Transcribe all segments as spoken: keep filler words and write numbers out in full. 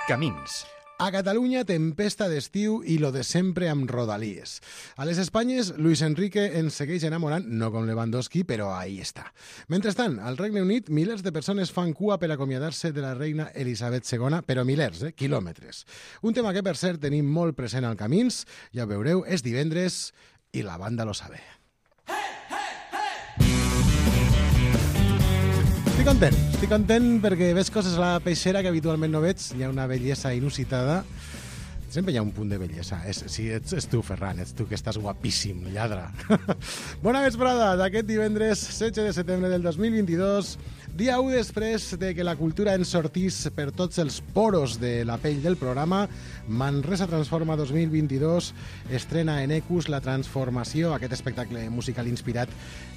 Camins. A Catalunya, tempesta d'estiu i lo de sempre amb rodalies. A les Espanyes, Luis Enrique ens segueix enamorant, no com Lewandowski, però ahí està. Mentrestant, al Regne Unit, milers de persones fan cua per acomiadar-se de la reina Elisabet segona, però milers, eh? Quilòmetres. Un tema que, per cert, tenim molt present al Camins, ja ho veureu, és divendres i la banda lo sabe. Estic content, estic content perquè veig coses a la peixera que habitualment no veig. Hi ha una bellesa inusitada. Sempre hi ha un punt de bellesa. És, sí, ets, ets tu, Ferran, ets tu que estàs guapíssim, lladre. Bona vesprada d'aquest divendres setze de setembre del dos mil vint-i-dos, dia u després de que la cultura ens sortís per tots els poros de la pell del programa. Manresa Transforma dos mil vint-i-dos estrena en Ecus la transformació, aquest espectacle musical inspirat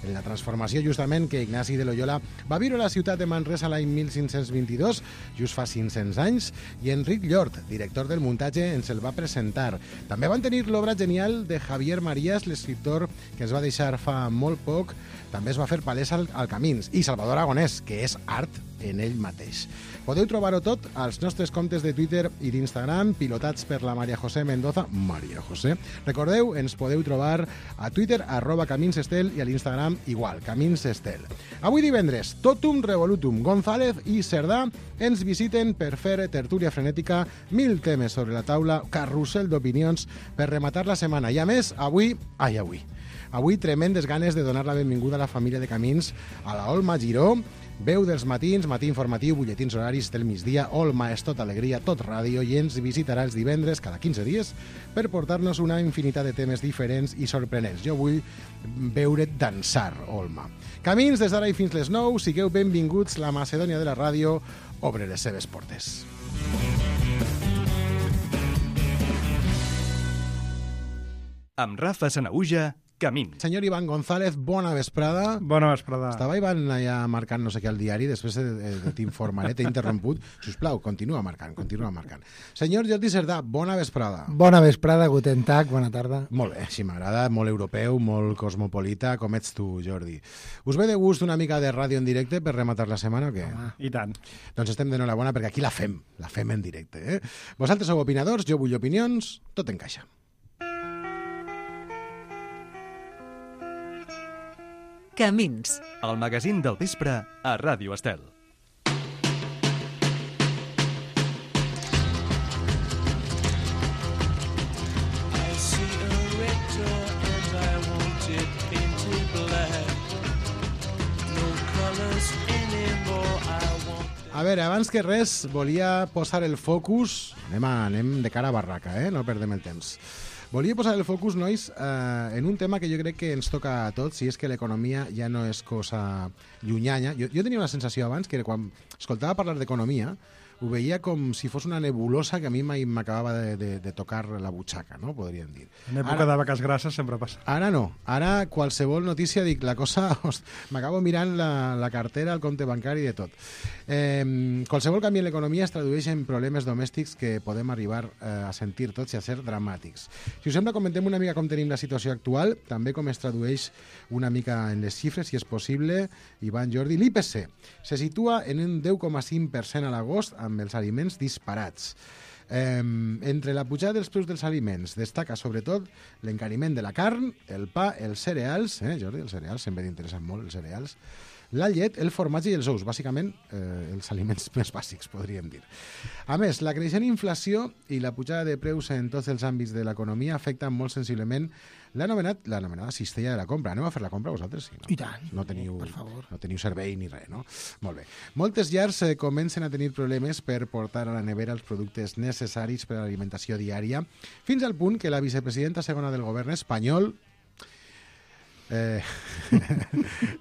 en la transformació justament que Ignasi de Loyola va viure a la ciutat de Manresa l'any mil cinc-cents vint-i-dos, just fa cinc-cents anys, i Enric Llort, director del muntatge, ens el va presentar. També van tenir l'obra genial de Javier Marías, l'escriptor que es va deixar fa molt poc, també es va fer palès al, al Camins, i Salvador Aragonès, que és art en ell mateix. Podeu trobar-ho tot als nostres comptes de Twitter i d'Instagram, pilotats per la Maria José Mendoza. Maria José. Recordeu, ens podeu trobar a Twitter, arroba Camins Estel, i a l'Instagram igual, Camins Estel. Avui divendres, Totum Revolutum, González i Cerdà ens visiten per fer tertúlia frenètica, mil temes sobre la taula, carrusel d'opinions per rematar la setmana. I a més, avui... Ai, avui... Avui tremendes ganes de donar la benvinguda a la família de Camins, a la Olma Giró, veu dels matins, matí informatiu, butlletins horaris del migdia, Olma és tot alegria, tot ràdio, i ens visitarà els divendres cada quinze dies per portar-nos una infinitat de temes diferents i sorprenents. Jo vull veure dansar, Olma. Camins des d'ara i fins les nou, sigueu benvinguts, la Macedònia de la ràdio obre les seves portes. Amb Rafa Sanaüja, Camins. Senyor Iván González, bona vesprada. Bona vesprada. Estava Iván allà marcant no sé què al diari, després t'informaré, t'he interromput. Sisplau, continua marcant, continua marcant. Senyor Jordi Cerdà, bona vesprada. Bona vesprada, guten tag, bona tarda. Molt bé, sí, m'agrada, molt europeu, molt cosmopolita, com ets tu, Jordi. Us ve de gust una mica de ràdio en directe per rematar la setmana o què? Home, i tant. Doncs estem d'enhorabona perquè aquí la fem, la fem en directe. Eh? Vosaltres sou opinadors, jo vull opinions, tot encaixa. Camins. El magazín del vespre a Ràdio Estel. A veure, abans que res, volia posar el focus... Anem, a, anem de cara a barraca, eh? No perdem el temps. Volia posar el focus, nois, eh, en un tema que jo crec que ens toca a tots, i és que l'economia ja no és cosa llunyana. Jo, jo tenia una sensació abans que quan escoltava parlar d'economia ho veia com si fos una nebulosa que a mi mai m'acabava de, de, de tocar la butxaca, no? Podríem dir. En època ara, de vaques grasses sempre passa. Ara no. Ara qualsevol notícia, dic, la cosa... M'acabo mirant la, la cartera, el compte bancari i de tot. Eh, qualsevol canvi en l'economia es tradueix en problemes domèstics que podem arribar eh, a sentir tots i a ser dramàtics. Si us sembla, comentem una mica com tenim la situació actual, també com es tradueix una mica en les xifres, si és possible. Ivan, Jordi, l'I P C se situa en un deu coma cinc per cent a l'agost, amb els aliments disparats. Eh, entre la pujada dels preus dels aliments destaca sobretot l'encariment de la carn, el pa, els cereals, eh, Jordi, els cereals sempre t'interessen molt, els cereals, la llet, el formatge i els ous, bàsicament eh, els aliments més bàsics, podríem dir. A més, la creixent inflació i la pujada de preus en tots els àmbits de l'economia afecten molt sensiblement l'anomenada cistella de la compra. Aneu a fer la compra vosaltres? Sí, no? I tant. No teniu, per favor. No teniu servei ni res, no? Molt bé. Moltes llars eh, comencen a tenir problemes per portar a la nevera els productes necessaris per a l'alimentació diària, fins al punt que la vicepresidenta segona del govern espanyol, Eh,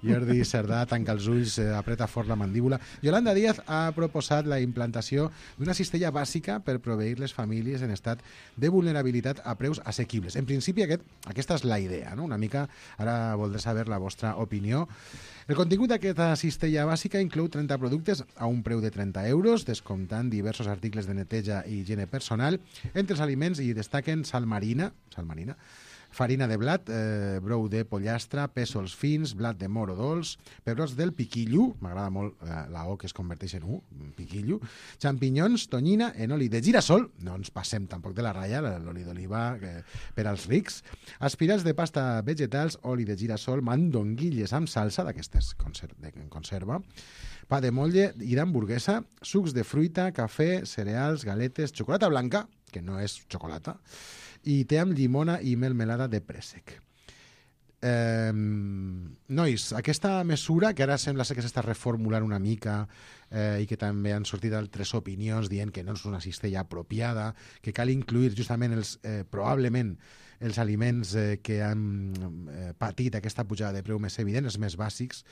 Jordi Cerdà tanca els ulls, eh, apreta fort la mandíbula. Yolanda Díaz ha proposat la implantació d'una cistella bàsica per proveir les famílies en estat de vulnerabilitat a preus assequibles. En principi aquest, aquesta és la idea, no? Una mica, ara voldré saber la vostra opinió. El contingut d'aquesta cistella bàsica inclou trenta productes a un preu de trenta euros, descomptant diversos articles de neteja i higiene personal. Entre els aliments hi destaquen sal marina, sal marina, farina de blat, eh, brou de pollastre, pèsols fins, blat de moro dolç, pebrots del piquillo, m'agrada molt eh, la O que es converteix en U, piquillo, xampinyons, tonyina, en oli de girassol, no ens passem tampoc de la ratlla, l'oli d'oliva eh, per als rics, aspirats de pasta vegetals, oli de girassol, mandonguilles amb salsa, d'aquestes conser de conserva, pa de motlle i d'hamburguesa, sucs de fruita, cafè, cereals, galetes, xocolata blanca, que no és xocolata, i té amb llimona i melmelada de préssec. Eh, nois, aquesta mesura, que ara sembla ser que s'està reformulant una mica eh, i que també han sortit altres opinions dient que no és una cistella apropiada, que cal incluir justament els, eh, probablement els aliments eh, que han eh, patit aquesta pujada de preu més evident, els més bàsics.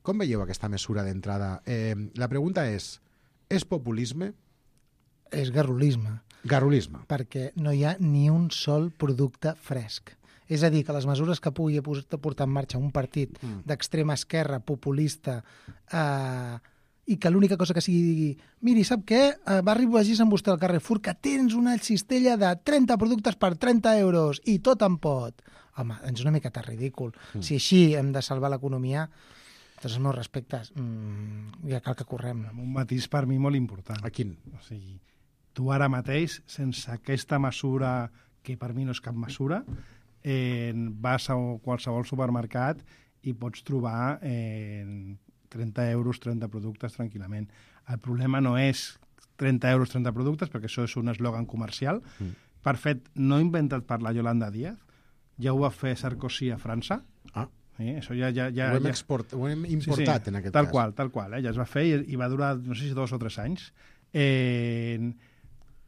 Com veieu aquesta mesura d'entrada? Eh, la pregunta és, és populisme? És garrulisme. Garrulisme. Perquè no hi ha ni un sol producte fresc. És a dir, que les mesures que pugui portar en marxa un partit mm. d'extrema esquerra, populista, eh, i que l'única cosa que sigui digui miri, sap què? Eh, va arribar amb vostè al Carrefour que tens una cistella de trenta productes per trenta euros i tot en pot. Home, és una miqueta ridícul. Mm. Si així hem de salvar l'economia, tots els meus respectes, mmm, ja cal que correm. Un matís per mi molt important. A quin? O sigui, tu ara mateix, sense aquesta mesura, que per mi no és cap mesura, eh, vas a qualsevol supermercat i pots trobar eh, trenta euros, trenta productes tranquil·lament. El problema no és trenta euros, trenta productes, perquè això és un eslògan comercial. Mm. Per fet, no inventat per la Yolanda Díaz, ja ho va fer Sarkozy a França. Ah. Sí, això ja, ja, ja, ho, hem ja... export, ho hem importat sí, sí, en aquest tal cas. Qual, tal qual, eh? Ja es va fer i, i va durar, no sé si dos o tres anys. Eh,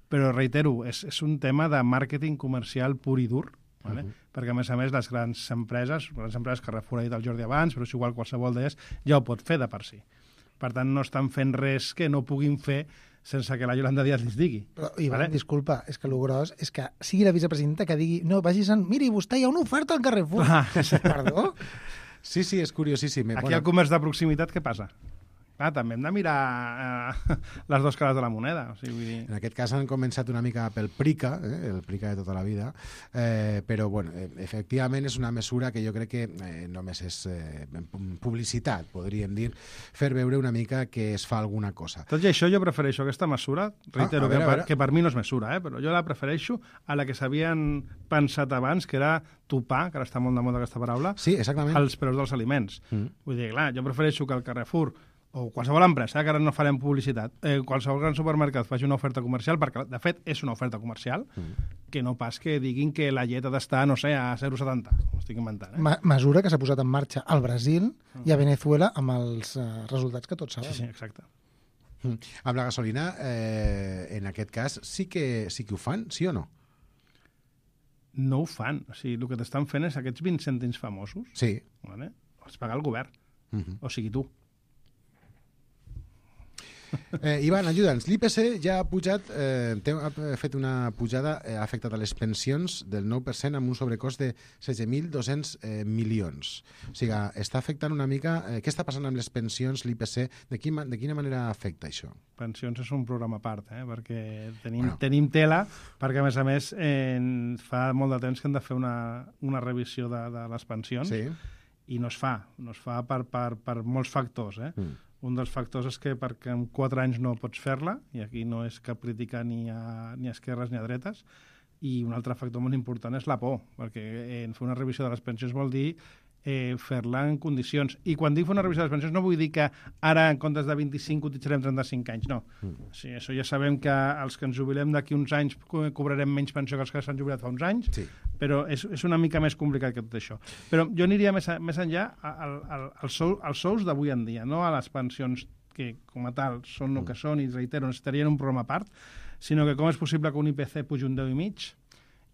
però reitero, és, és un tema de màrqueting comercial pur i dur, vale? Uh -huh. Perquè a més a més les grans empreses, les grans empreses que Carrefour ha dit el Jordi abans, però és igual qualsevol d'elles, ja ho pot fer de per si. Per tant, no estan fent res que no puguin fer sense que la Yolanda Díaz li digui. Però, Ivan, vale? Disculpa, és que el gros és que sigui la vicepresidenta que digui no, vagis en... Miri, vostè hi ha una oferta al Carrefour. Ah. Perdó? Sí, sí, és curiosíssim. Aquí bueno. al comerç de proximitat què passa? Clar, també hem de mirar eh, les dues cares de la moneda. O sigui, vull dir... En aquest cas han començat una mica pel Prica, eh, el Prica de tota la vida, eh, però bueno, efectivament és una mesura que jo crec que eh, només és eh, publicitat, podríem dir, fer veure una mica que es fa alguna cosa. Tot i això jo prefereixo aquesta mesura, reitero, ah, veure, que, per, que per mi no és mesura, eh, però jo la prefereixo a la que s'havien pensat abans, que era topar, que ara està molt de moda aquesta paraula, sí, exactament, els preus dels aliments. Mm. Vull dir, clar, jo prefereixo que el Carrefour o qualsevol empresa, que ara no farem publicitat, eh, qualsevol gran supermercat faci una oferta comercial, perquè de fet és una oferta comercial, mm. que no pas que diguin que la llet ha d'estar, no sé, a zero coma setanta. Ho estic inventant. Eh? Ma mesura que s'ha posat en marxa al Brasil mm. i a Venezuela amb els uh, resultats que tots sabem. Sí, sí, exacte. Mm. Amb la gasolina, eh, en aquest cas, sí que, sí que ho fan, sí o no? No ho fan. O sigui, el que t'estan fent és aquests vint cèntims famosos. Sí. Vale? Els paga el govern. Mm -hmm. O sigui, tu. Eh, Ivan, ajuda'ns. L'I P C ja ha pujat, eh, ha fet una pujada, eh, ha afectat a les pensions del nou per cent amb un sobrecost de setze mil dos-cents eh, milions. O sigui, està afectant una mica... Eh, què està passant amb les pensions, l'I P C? De, quin, de quina manera afecta això? Pensions és un programa a part, eh? Perquè tenim, bueno. tenim tela, perquè a més a més eh, fa molt de temps que hem de fer una, una revisió de, de les pensions, sí. I no es fa. No es fa per, per, per molts factors, eh? Mm. Un dels factors és que perquè en quatre anys no pots fer-la, i aquí no és cap crítica ni a, ni a esquerres ni a dretes, i un altre factor molt important és la por, perquè en fer una revisió de les pensions vol dir eh, fer-la en condicions. I quan dic fer una revisió de les pensions no vull dir que ara en comptes de vint-i-cinc cotitzarem trenta-cinc anys, no. Mm. O sigui, això ja sabem que els que ens jubilem d'aquí uns anys cobrarem menys pensió que els que s'han jubilat fa uns anys, sí. Però és, és una mica més complicat que tot això. Però jo aniria més, a, més enllà al, al, al sou, als sous d'avui en dia, no a les pensions que com a tal són el mm. que són i, reitero, necessitarien un programa a part, sinó que com és possible que un I P C pugi un deu coma cinc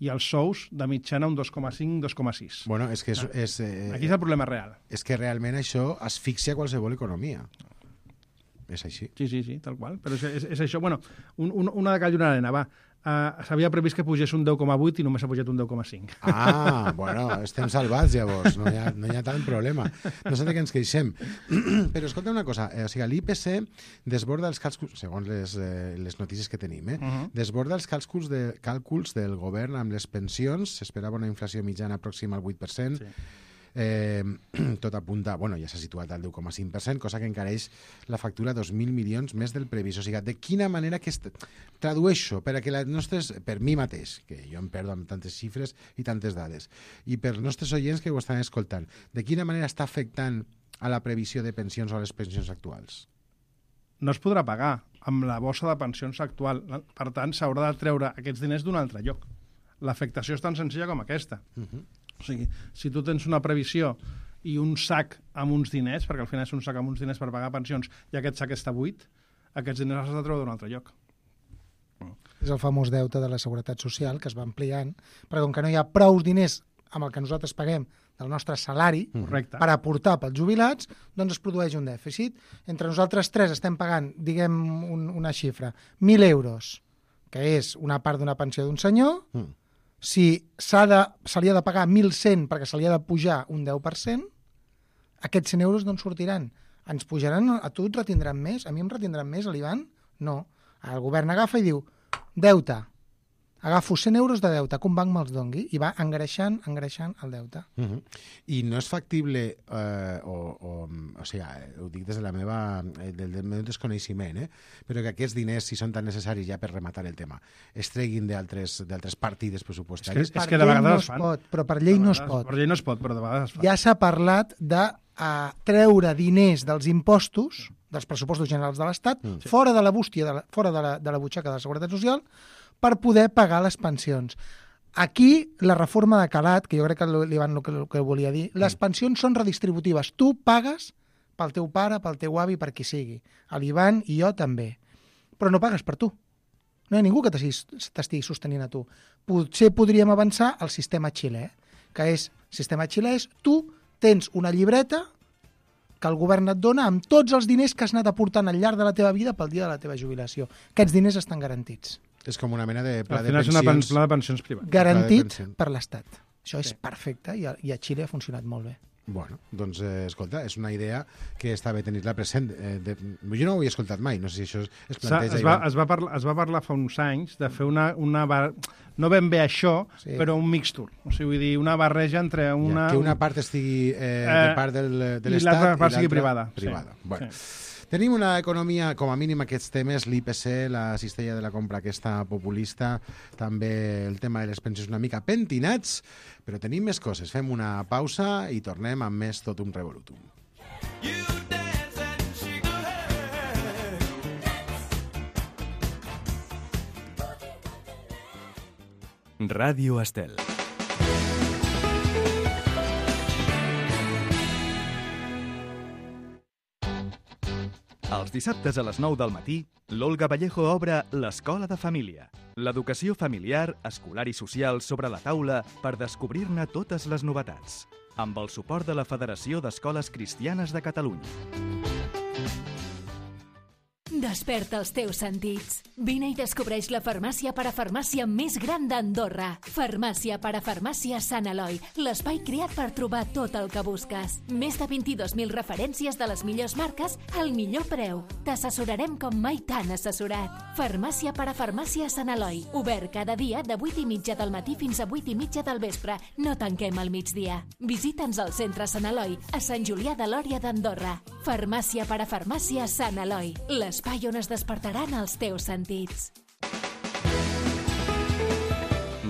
i els sous de mitjana un dos coma cinc, dos coma sis. Bueno, és que és, és, eh, aquí és el problema real. És que realment això asfixia qualsevol economia. És així. Sí, sí, sí, tal qual. Però és, és, és això. Bueno, un, un, una de cal i una arena, va. Uh, s'havia previst que pugés un deu coma vuit i només ha pujat un deu coma cinc. Ah, bueno, estem salvats llavors, no hi ha, no hi ha tant problema. No sé de què ens queixem. Però escolta una cosa, eh, o sigui, l'I P C desborda els càlculs, segons les, eh, les notícies que tenim, eh, uh -huh. desborda els càlculs, de, càlculs del govern amb les pensions, s'esperava una inflació mitjana pròxima al vuit per cent, sí. Eh, tot apunta, bueno, ja s'ha situat al deu coma cinc per cent, cosa que encareix la factura dos mil milions més del previst. O sigui, de quina manera que est... tradueixo per a que les nostres, per mi mateix, que jo em perdo amb tantes xifres i tantes dades, i per els nostres oients que ho estan escoltant, de quina manera està afectant a la previsió de pensions o a les pensions actuals? No es podrà pagar amb la bossa de pensions actual. Per tant, s'haurà de treure aquests diners d'un altre lloc. L'afectació és tan senzilla com aquesta. Uh-huh. O sigui, si tu tens una previsió i un sac amb uns diners, perquè al final és un sac amb uns diners per pagar pensions, i aquest sac està buit, aquests diners has de treure d'un altre lloc. És el famós deute de la Seguretat Social, que es va ampliant, perquè com que no hi ha prou diners amb el que nosaltres paguem del nostre salari, correcte, per aportar pels jubilats, doncs es produeix un dèficit. Entre nosaltres tres estem pagant, diguem un, una xifra, mil euros, que és una part d'una pensió d'un senyor, mm. Si s'ha de, se li ha de pagar mil cent perquè se li ha de pujar un deu per cent, aquests cent euros d'on sortiran? Ens pujaran, a tu et retindran més? A mi em retindran més, a l'Ivan? No. El govern agafa i diu, deute, agafo cent euros de deute, que un banc me'ls dongui, i va engreixant, engreixant el deute. Uh -huh. I no és factible, eh, o, o, o sigui, ho dic des de la meva, del, del meu desconeixement, eh? Però que aquests diners, si són tan necessaris ja per rematar el tema, es treguin d'altres partides pressupostàries. És que, és que de vegades no es fan. Pot, però per llei no es pot. Per llei no es pot, però de vegades es fan. Ja s'ha parlat de a treure diners dels impostos, dels pressupostos generals de l'Estat, mm. fora de la bústia, de la, fora de la, de la butxaca de la Seguretat Social, per poder pagar les pensions. Aquí, la reforma de calat, que jo crec que l'Ivan el que, el que volia dir, les pensions són redistributives. Tu pagues pel teu pare, pel teu avi, per qui sigui. L'Ivan i jo també. Però no pagues per tu. No hi ha ningú que t'estigui sostenint a tu. Potser podríem avançar al sistema xilè, que és, sistema xilè és, tu tens una llibreta que el govern et dona amb tots els diners que has anat aportant al llarg de la teva vida pel dia de la teva jubilació. Aquests diners estan garantits. És com una mena de pla Al de final pensions. és una pla de pensions privada. Garantit pensions. per l'Estat. Això Sí. és perfecte i a, i a Xile ha funcionat molt bé. Bueno, doncs, eh, escolta, és una idea que està bé tenir-la present. Eh, de, jo no ho havia escoltat mai, no sé si això es, es planteja. Es va, es, va parlar, es va parlar fa uns anys de fer una... una bar... no ben bé això, sí. però un mixture. O sigui, vull dir, una barreja entre una... Ja, que una part estigui eh, de part del, de l'Estat i l'altra part sigui privada. privada. Sí. Bueno. Sí. Tenim una economia, com a mínim aquests temes, l'I P C, la cistella de la compra aquesta populista, també el tema de les pensions una mica pentinats, però tenim més coses. Fem una pausa i tornem amb més tot un revolutum. Ràdio Estel. Els dissabtes a les nou del matí, l'Olga Vallejo obre l'Escola de Família. L'educació familiar, escolar i social sobre la taula per descobrir-ne totes les novetats. Amb el suport de la Federació d'Escoles Cristianes de Catalunya. Desperta els teus sentits. Vine i descobreix la farmàcia parafarmàcia més gran d'Andorra. Farmàcia parafarmàcia Sant Eloi, l'espai creat per trobar tot el que busques. Més de vint-i-dos mil referències de les millors marques al millor preu. T'assessorarem com mai t'han assessorat. Farmàcia parafarmàcia Sant Eloi. Obert cada dia de vuit i mitja del matí fins a vuit i mitja del vespre. No tanquem al migdia. Visita'ns al centre Sant Eloi, a Sant Julià de Lòria d'Andorra. Farmàcia parafarmàcia Sant Eloi. L'espai on es despertaran els teus sentits.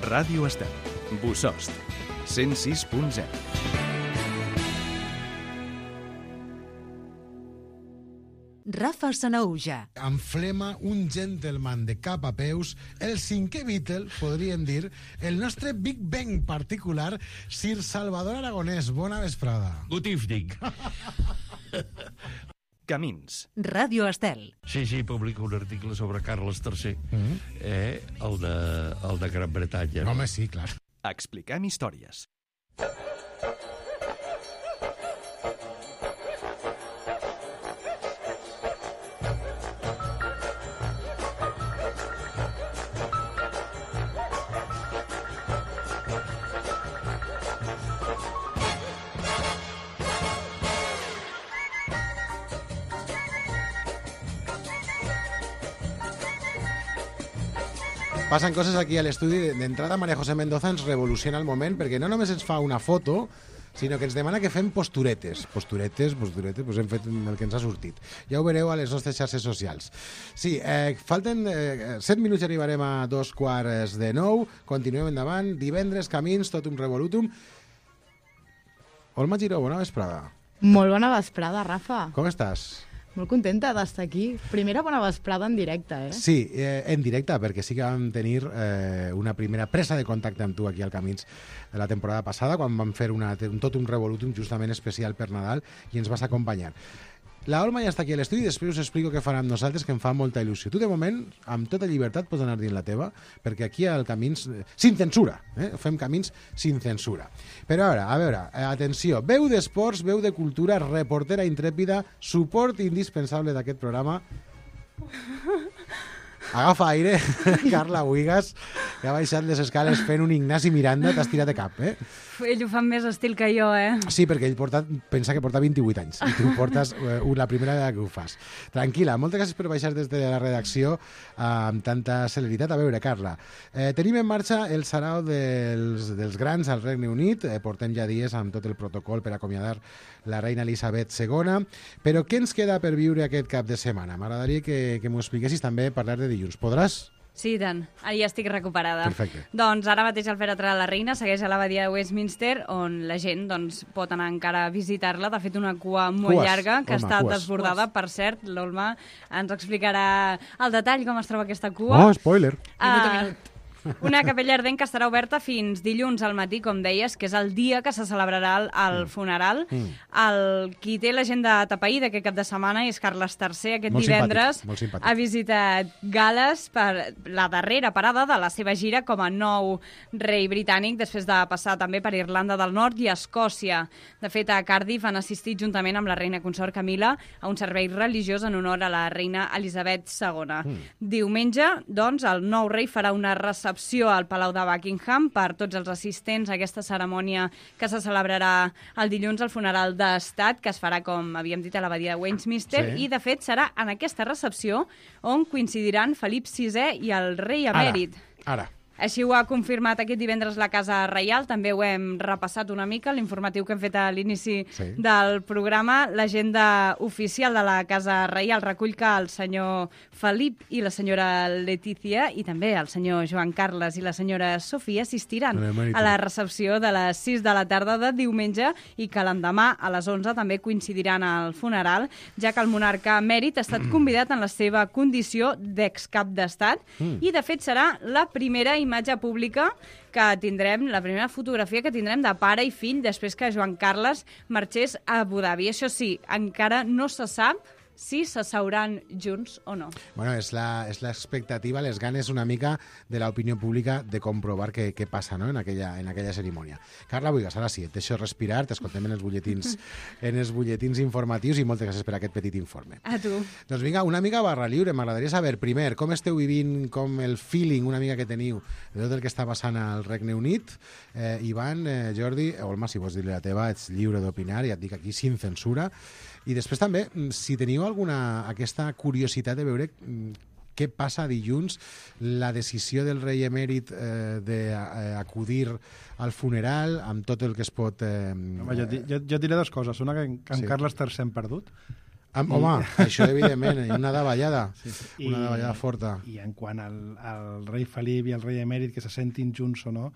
Ràdio Estel. Bosost. cent sis punt zero. Rafa Sanaúja. Enflema un gentleman de cap a peus, el cinquè Beatle, podríem dir, el nostre Big Bang particular, Sir Salvador Aragonès. Bona vesprada. Good evening. Camins. Ràdio Estel. Sí, sí, publica un article sobre Carles tercer, mm-hmm. eh, el, de, el de Gran Bretanya. Home, sí, clar. Expliquem històries. Passen coses aquí a l'estudi. D'entrada, Maria José Mendoza ens revoluciona el moment perquè no només ens fa una foto, sinó que ens demana que fem posturetes. Posturetes, posturetes, doncs hem fet el que ens ha sortit. Ja ho veureu a les nostres xarxes socials. Sí, eh, falten eh, set minuts i arribarem a dos quarts de nou. Continuem endavant. Divendres, camins, tot un revolutum. Olma Giró, bona vesprada. Molt bona vesprada, Rafa. Com estàs? Molt contenta d'estar aquí. Primera bona vesprada en directe, eh? Sí, eh, en directe, perquè sí que vam tenir eh, una primera presa de contacte amb tu aquí al Camins de la temporada passada, quan vam fer una, un, tot un revolutum justament especial per Nadal i ens vas acompanyar. La Olma ja està aquí a l'estudi i després us explico què farà amb nosaltres, que em fa molta il·lusió. Tu, de moment, amb tota llibertat pots anar dient la teva, perquè aquí al Camins, eh, sin censura, eh? Fem Camins sin censura. Però ara, a veure, eh, atenció, veu d'esports, veu de cultura, reportera intrèpida, suport indispensable d'aquest programa. Agafa aire, Carla Buigas, que ha baixat les escales fent un Ignasi Miranda, t'has tirat de cap, eh? Ell ho fa més estil que jo, eh? Sí, perquè ell porta, pensa que porta vint-i-vuit anys i tu portes eh, la primera vegada que ho fas. Tranquil·la, moltes gràcies per baixar des de la redacció eh, amb tanta celeritat. A veure, Carla, eh, tenim en marxa el sarau dels, dels grans al Regne Unit, eh, portem ja dies amb tot el protocol per acomiadar la reina Elisabet segona, però què ens queda per viure aquest cap de setmana? M'agradaria que, que m'ho expliquessis també, parlar de dilluns. Podràs? Sí, tant. Ara ja estic recuperada. Perfecte. Doncs ara mateix el Fèretre de la Reina segueix a l'abadia de Westminster, on la gent doncs, pot anar encara a visitar-la. De fet, una cua molt Cues. llarga, que Olma, està cues. desbordada. Per cert, l'Olma ens explicarà al detall com es troba aquesta cua. Oh, spoiler! Uh, una capella ardent que estarà oberta fins dilluns al matí, com deies, que és el dia que se celebrarà el, el mm. funeral. Mm. El qui té l'agenda tapaïda aquest cap de setmana és Carles tercer. Aquest molt divendres simpàtic, molt simpàtic. ha visitat Gal·les per la darrera parada de la seva gira com a nou rei britànic, després de passar també per Irlanda del Nord i Escòcia. De fet, a Cardiff han assistit juntament amb la reina consort Camila a un servei religiós en honor a la reina Elisabet segona. Mm. Diumenge, doncs, el nou rei farà una recepció al Palau de Buckingham per tots els assistents a aquesta cerimònia que se celebrarà el dilluns al funeral d'estat, que es farà, com havíem dit, a l'abadia de Westminster, sí. I, de fet, serà en aquesta recepció on coincidiran Felip sisè i el rei emèrit. Ara, ara. Així ho ha confirmat aquest divendres la Casa Reial. També ho hem repassat una mica, l'informatiu que hem fet a l'inici sí. del programa. L'agenda oficial de la Casa Reial recull que el senyor Felip i la senyora Letícia i també el senyor Joan Carles i la senyora Sofia assistiran a la recepció de les sis de la tarda de diumenge i que l'endemà a les onze també coincidiran al funeral, ja que el monarca emèrit ha estat convidat en la seva condició d'excap d'estat mm. i, de fet, serà la primera imatge pública que tindrem, la primera fotografia que tindrem de pare i fill després que Joan Carles marxés a Abu Dhabi. Això sí, encara no se sap si s'asseuran junts o no. Bueno, és la, és l'expectativa, les ganes una mica de l'opinió pública de comprovar què, què passa, no?, en aquella, en aquella cerimònia. Carla Buigas, ara sí, et deixo respirar, t'escoltem en els butlletins, en els butlletins informatius i moltes gràcies per aquest petit informe. A tu. Doncs vinga, una mica barra lliure. M'agradaria saber, primer, com esteu vivint, com el feeling una mica que teniu de tot el que està passant al Regne Unit. Eh, Ivan, eh, Jordi, Olma, si vols dir-li la teva, ets lliure d'opinar, ja et dic aquí, sin censura. I després també, si teniu alguna aquesta curiositat de veure què passa dilluns, la decisió del rei emèrit eh, d'acudir al funeral amb tot el que es pot... Eh, Home, jo, jo, jo diré dues coses. Una, que en, que en sí. Carles tercer hem perdut. Amb, home, I... això evidentment, una davallada, sí, sí. una I, davallada forta. I en quant al, al rei Felip i al rei emèrit, que se sentin junts o no,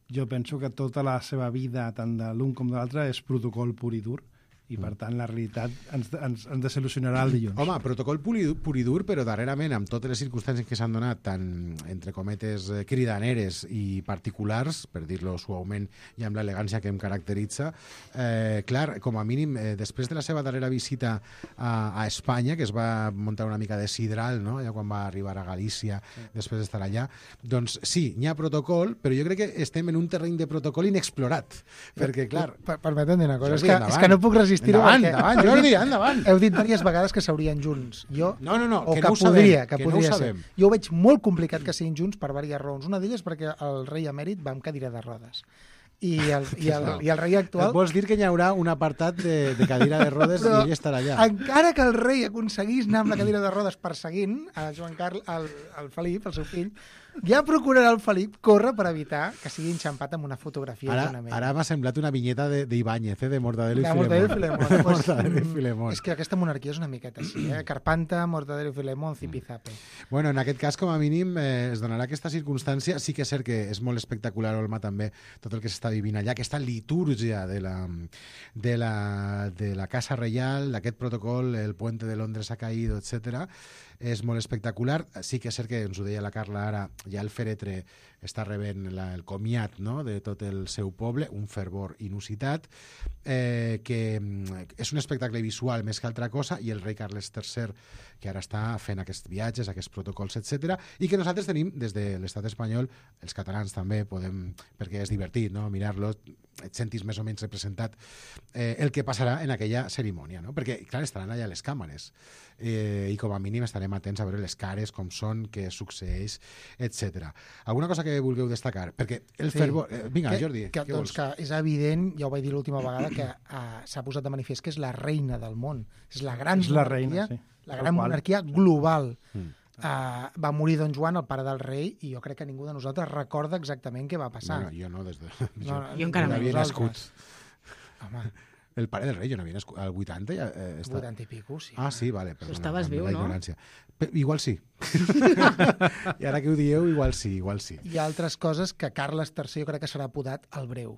jo penso que tota la seva vida, tant de l'un com de l'altre, és protocol pur i dur. I, per tant, la realitat ens, ens, ens desil·lusionarà el dilluns. Home, protocol pur i dur, però darrerament, amb totes les circumstàncies que s'han donat, tant, entre cometes, cridaneres i particulars, per dir-lo suaument i amb l'elegància que em caracteritza, eh, clar, com a mínim, eh, després de la seva darrera visita a, a Espanya, que es va muntar una mica de sidral, no?, ja quan va arribar a Galícia, sí. després d'estar allà, doncs sí, hi ha protocol, però jo crec que estem en un terreny de protocol inexplorat, perquè, clar... Per, permetem dir una cosa, és que, és que no puc resistir. Endavant, endavant, Jordi, endavant. Heu dit diverses vegades que s'haurien junts. Jo, no, no, no, o que, que, no podria, sabem, que que podria no ho ser. sabem. Jo ho veig molt complicat que siguin junts per diverses raons. Una d'elles perquè el rei emèrit va amb cadira de rodes. i el, i el, i el rei actual... Vols dir que hi haurà un apartat de, de cadira de rodes Però, i ell estarà allà? Encara que el rei aconseguís anar amb la cadira de rodes perseguint a Joan Carles, al, al Felip, el seu fill, ja procurarà el Felip córrer per evitar que sigui enxampat amb una fotografia. Ara, ara m'ha semblat una vinyeta d'Ibáñez, eh, de Mortadelo i de Filemón. Mortadelo i Filemón. De Pues, Mortadelo i Filemón. És que aquesta monarquia és una miqueta així, eh? Carpanta, Mortadelo i Filemón, zipizape. Bueno, en aquest cas, com a mínim, eh, es donarà aquesta circumstància. Sí que és cert que és molt espectacular, Olma, també, tot el que s'està vivint allà, aquesta litúrgia de la, de la, de la Casa Reial, d'aquest protocol, el puente de Londres ha caído, etcètera. És molt espectacular. Sí que és cert que, ens ho deia la Carla ara, ja el fèretre està rebent la, el comiat, no?, de tot el seu poble, un fervor inusitat, eh, que és un espectacle visual més que altra cosa, i el rei Carles tercer, que ara està fent aquests viatges, aquests protocols, etcètera, i que nosaltres tenim des de l'estat espanyol, els catalans també podem, perquè és divertit, no?, mirar-lo, et sentis més o menys representat eh, el que passarà en aquella cerimònia, no? Perquè, clar, estaran allà les càmeres eh, i com a mínim estarem atents a veure les cares, com són, què succeeix, etcètera. Alguna cosa que vulgueu destacar? Perquè el sí. fervor... Eh, vinga, que, Jordi, que, què doncs vols? Que és evident, ja ho vaig dir l'última vegada, que uh, s'ha posat de manifest que és la reina del món. És la gran és la monarquia, reina, sí. la gran monarquia global. Mm. Uh, va morir Don Joan, el pare del rei, i jo crec que ningú de nosaltres recorda exactament què va passar. Bueno, jo no, des de... No, jo, jo encara no no. havia nascut. Home, El pare del rei, jo no havia nascut. Al vuitanta ja... Eh, està... vuitanta i pico, sí. Ah, sí, vale. Perdona, estaves viu, la no? ignorància. Però, igual sí. I ara que ho dieu, igual sí, igual sí. Hi ha altres coses que Carles tercer jo crec que serà apodat el breu.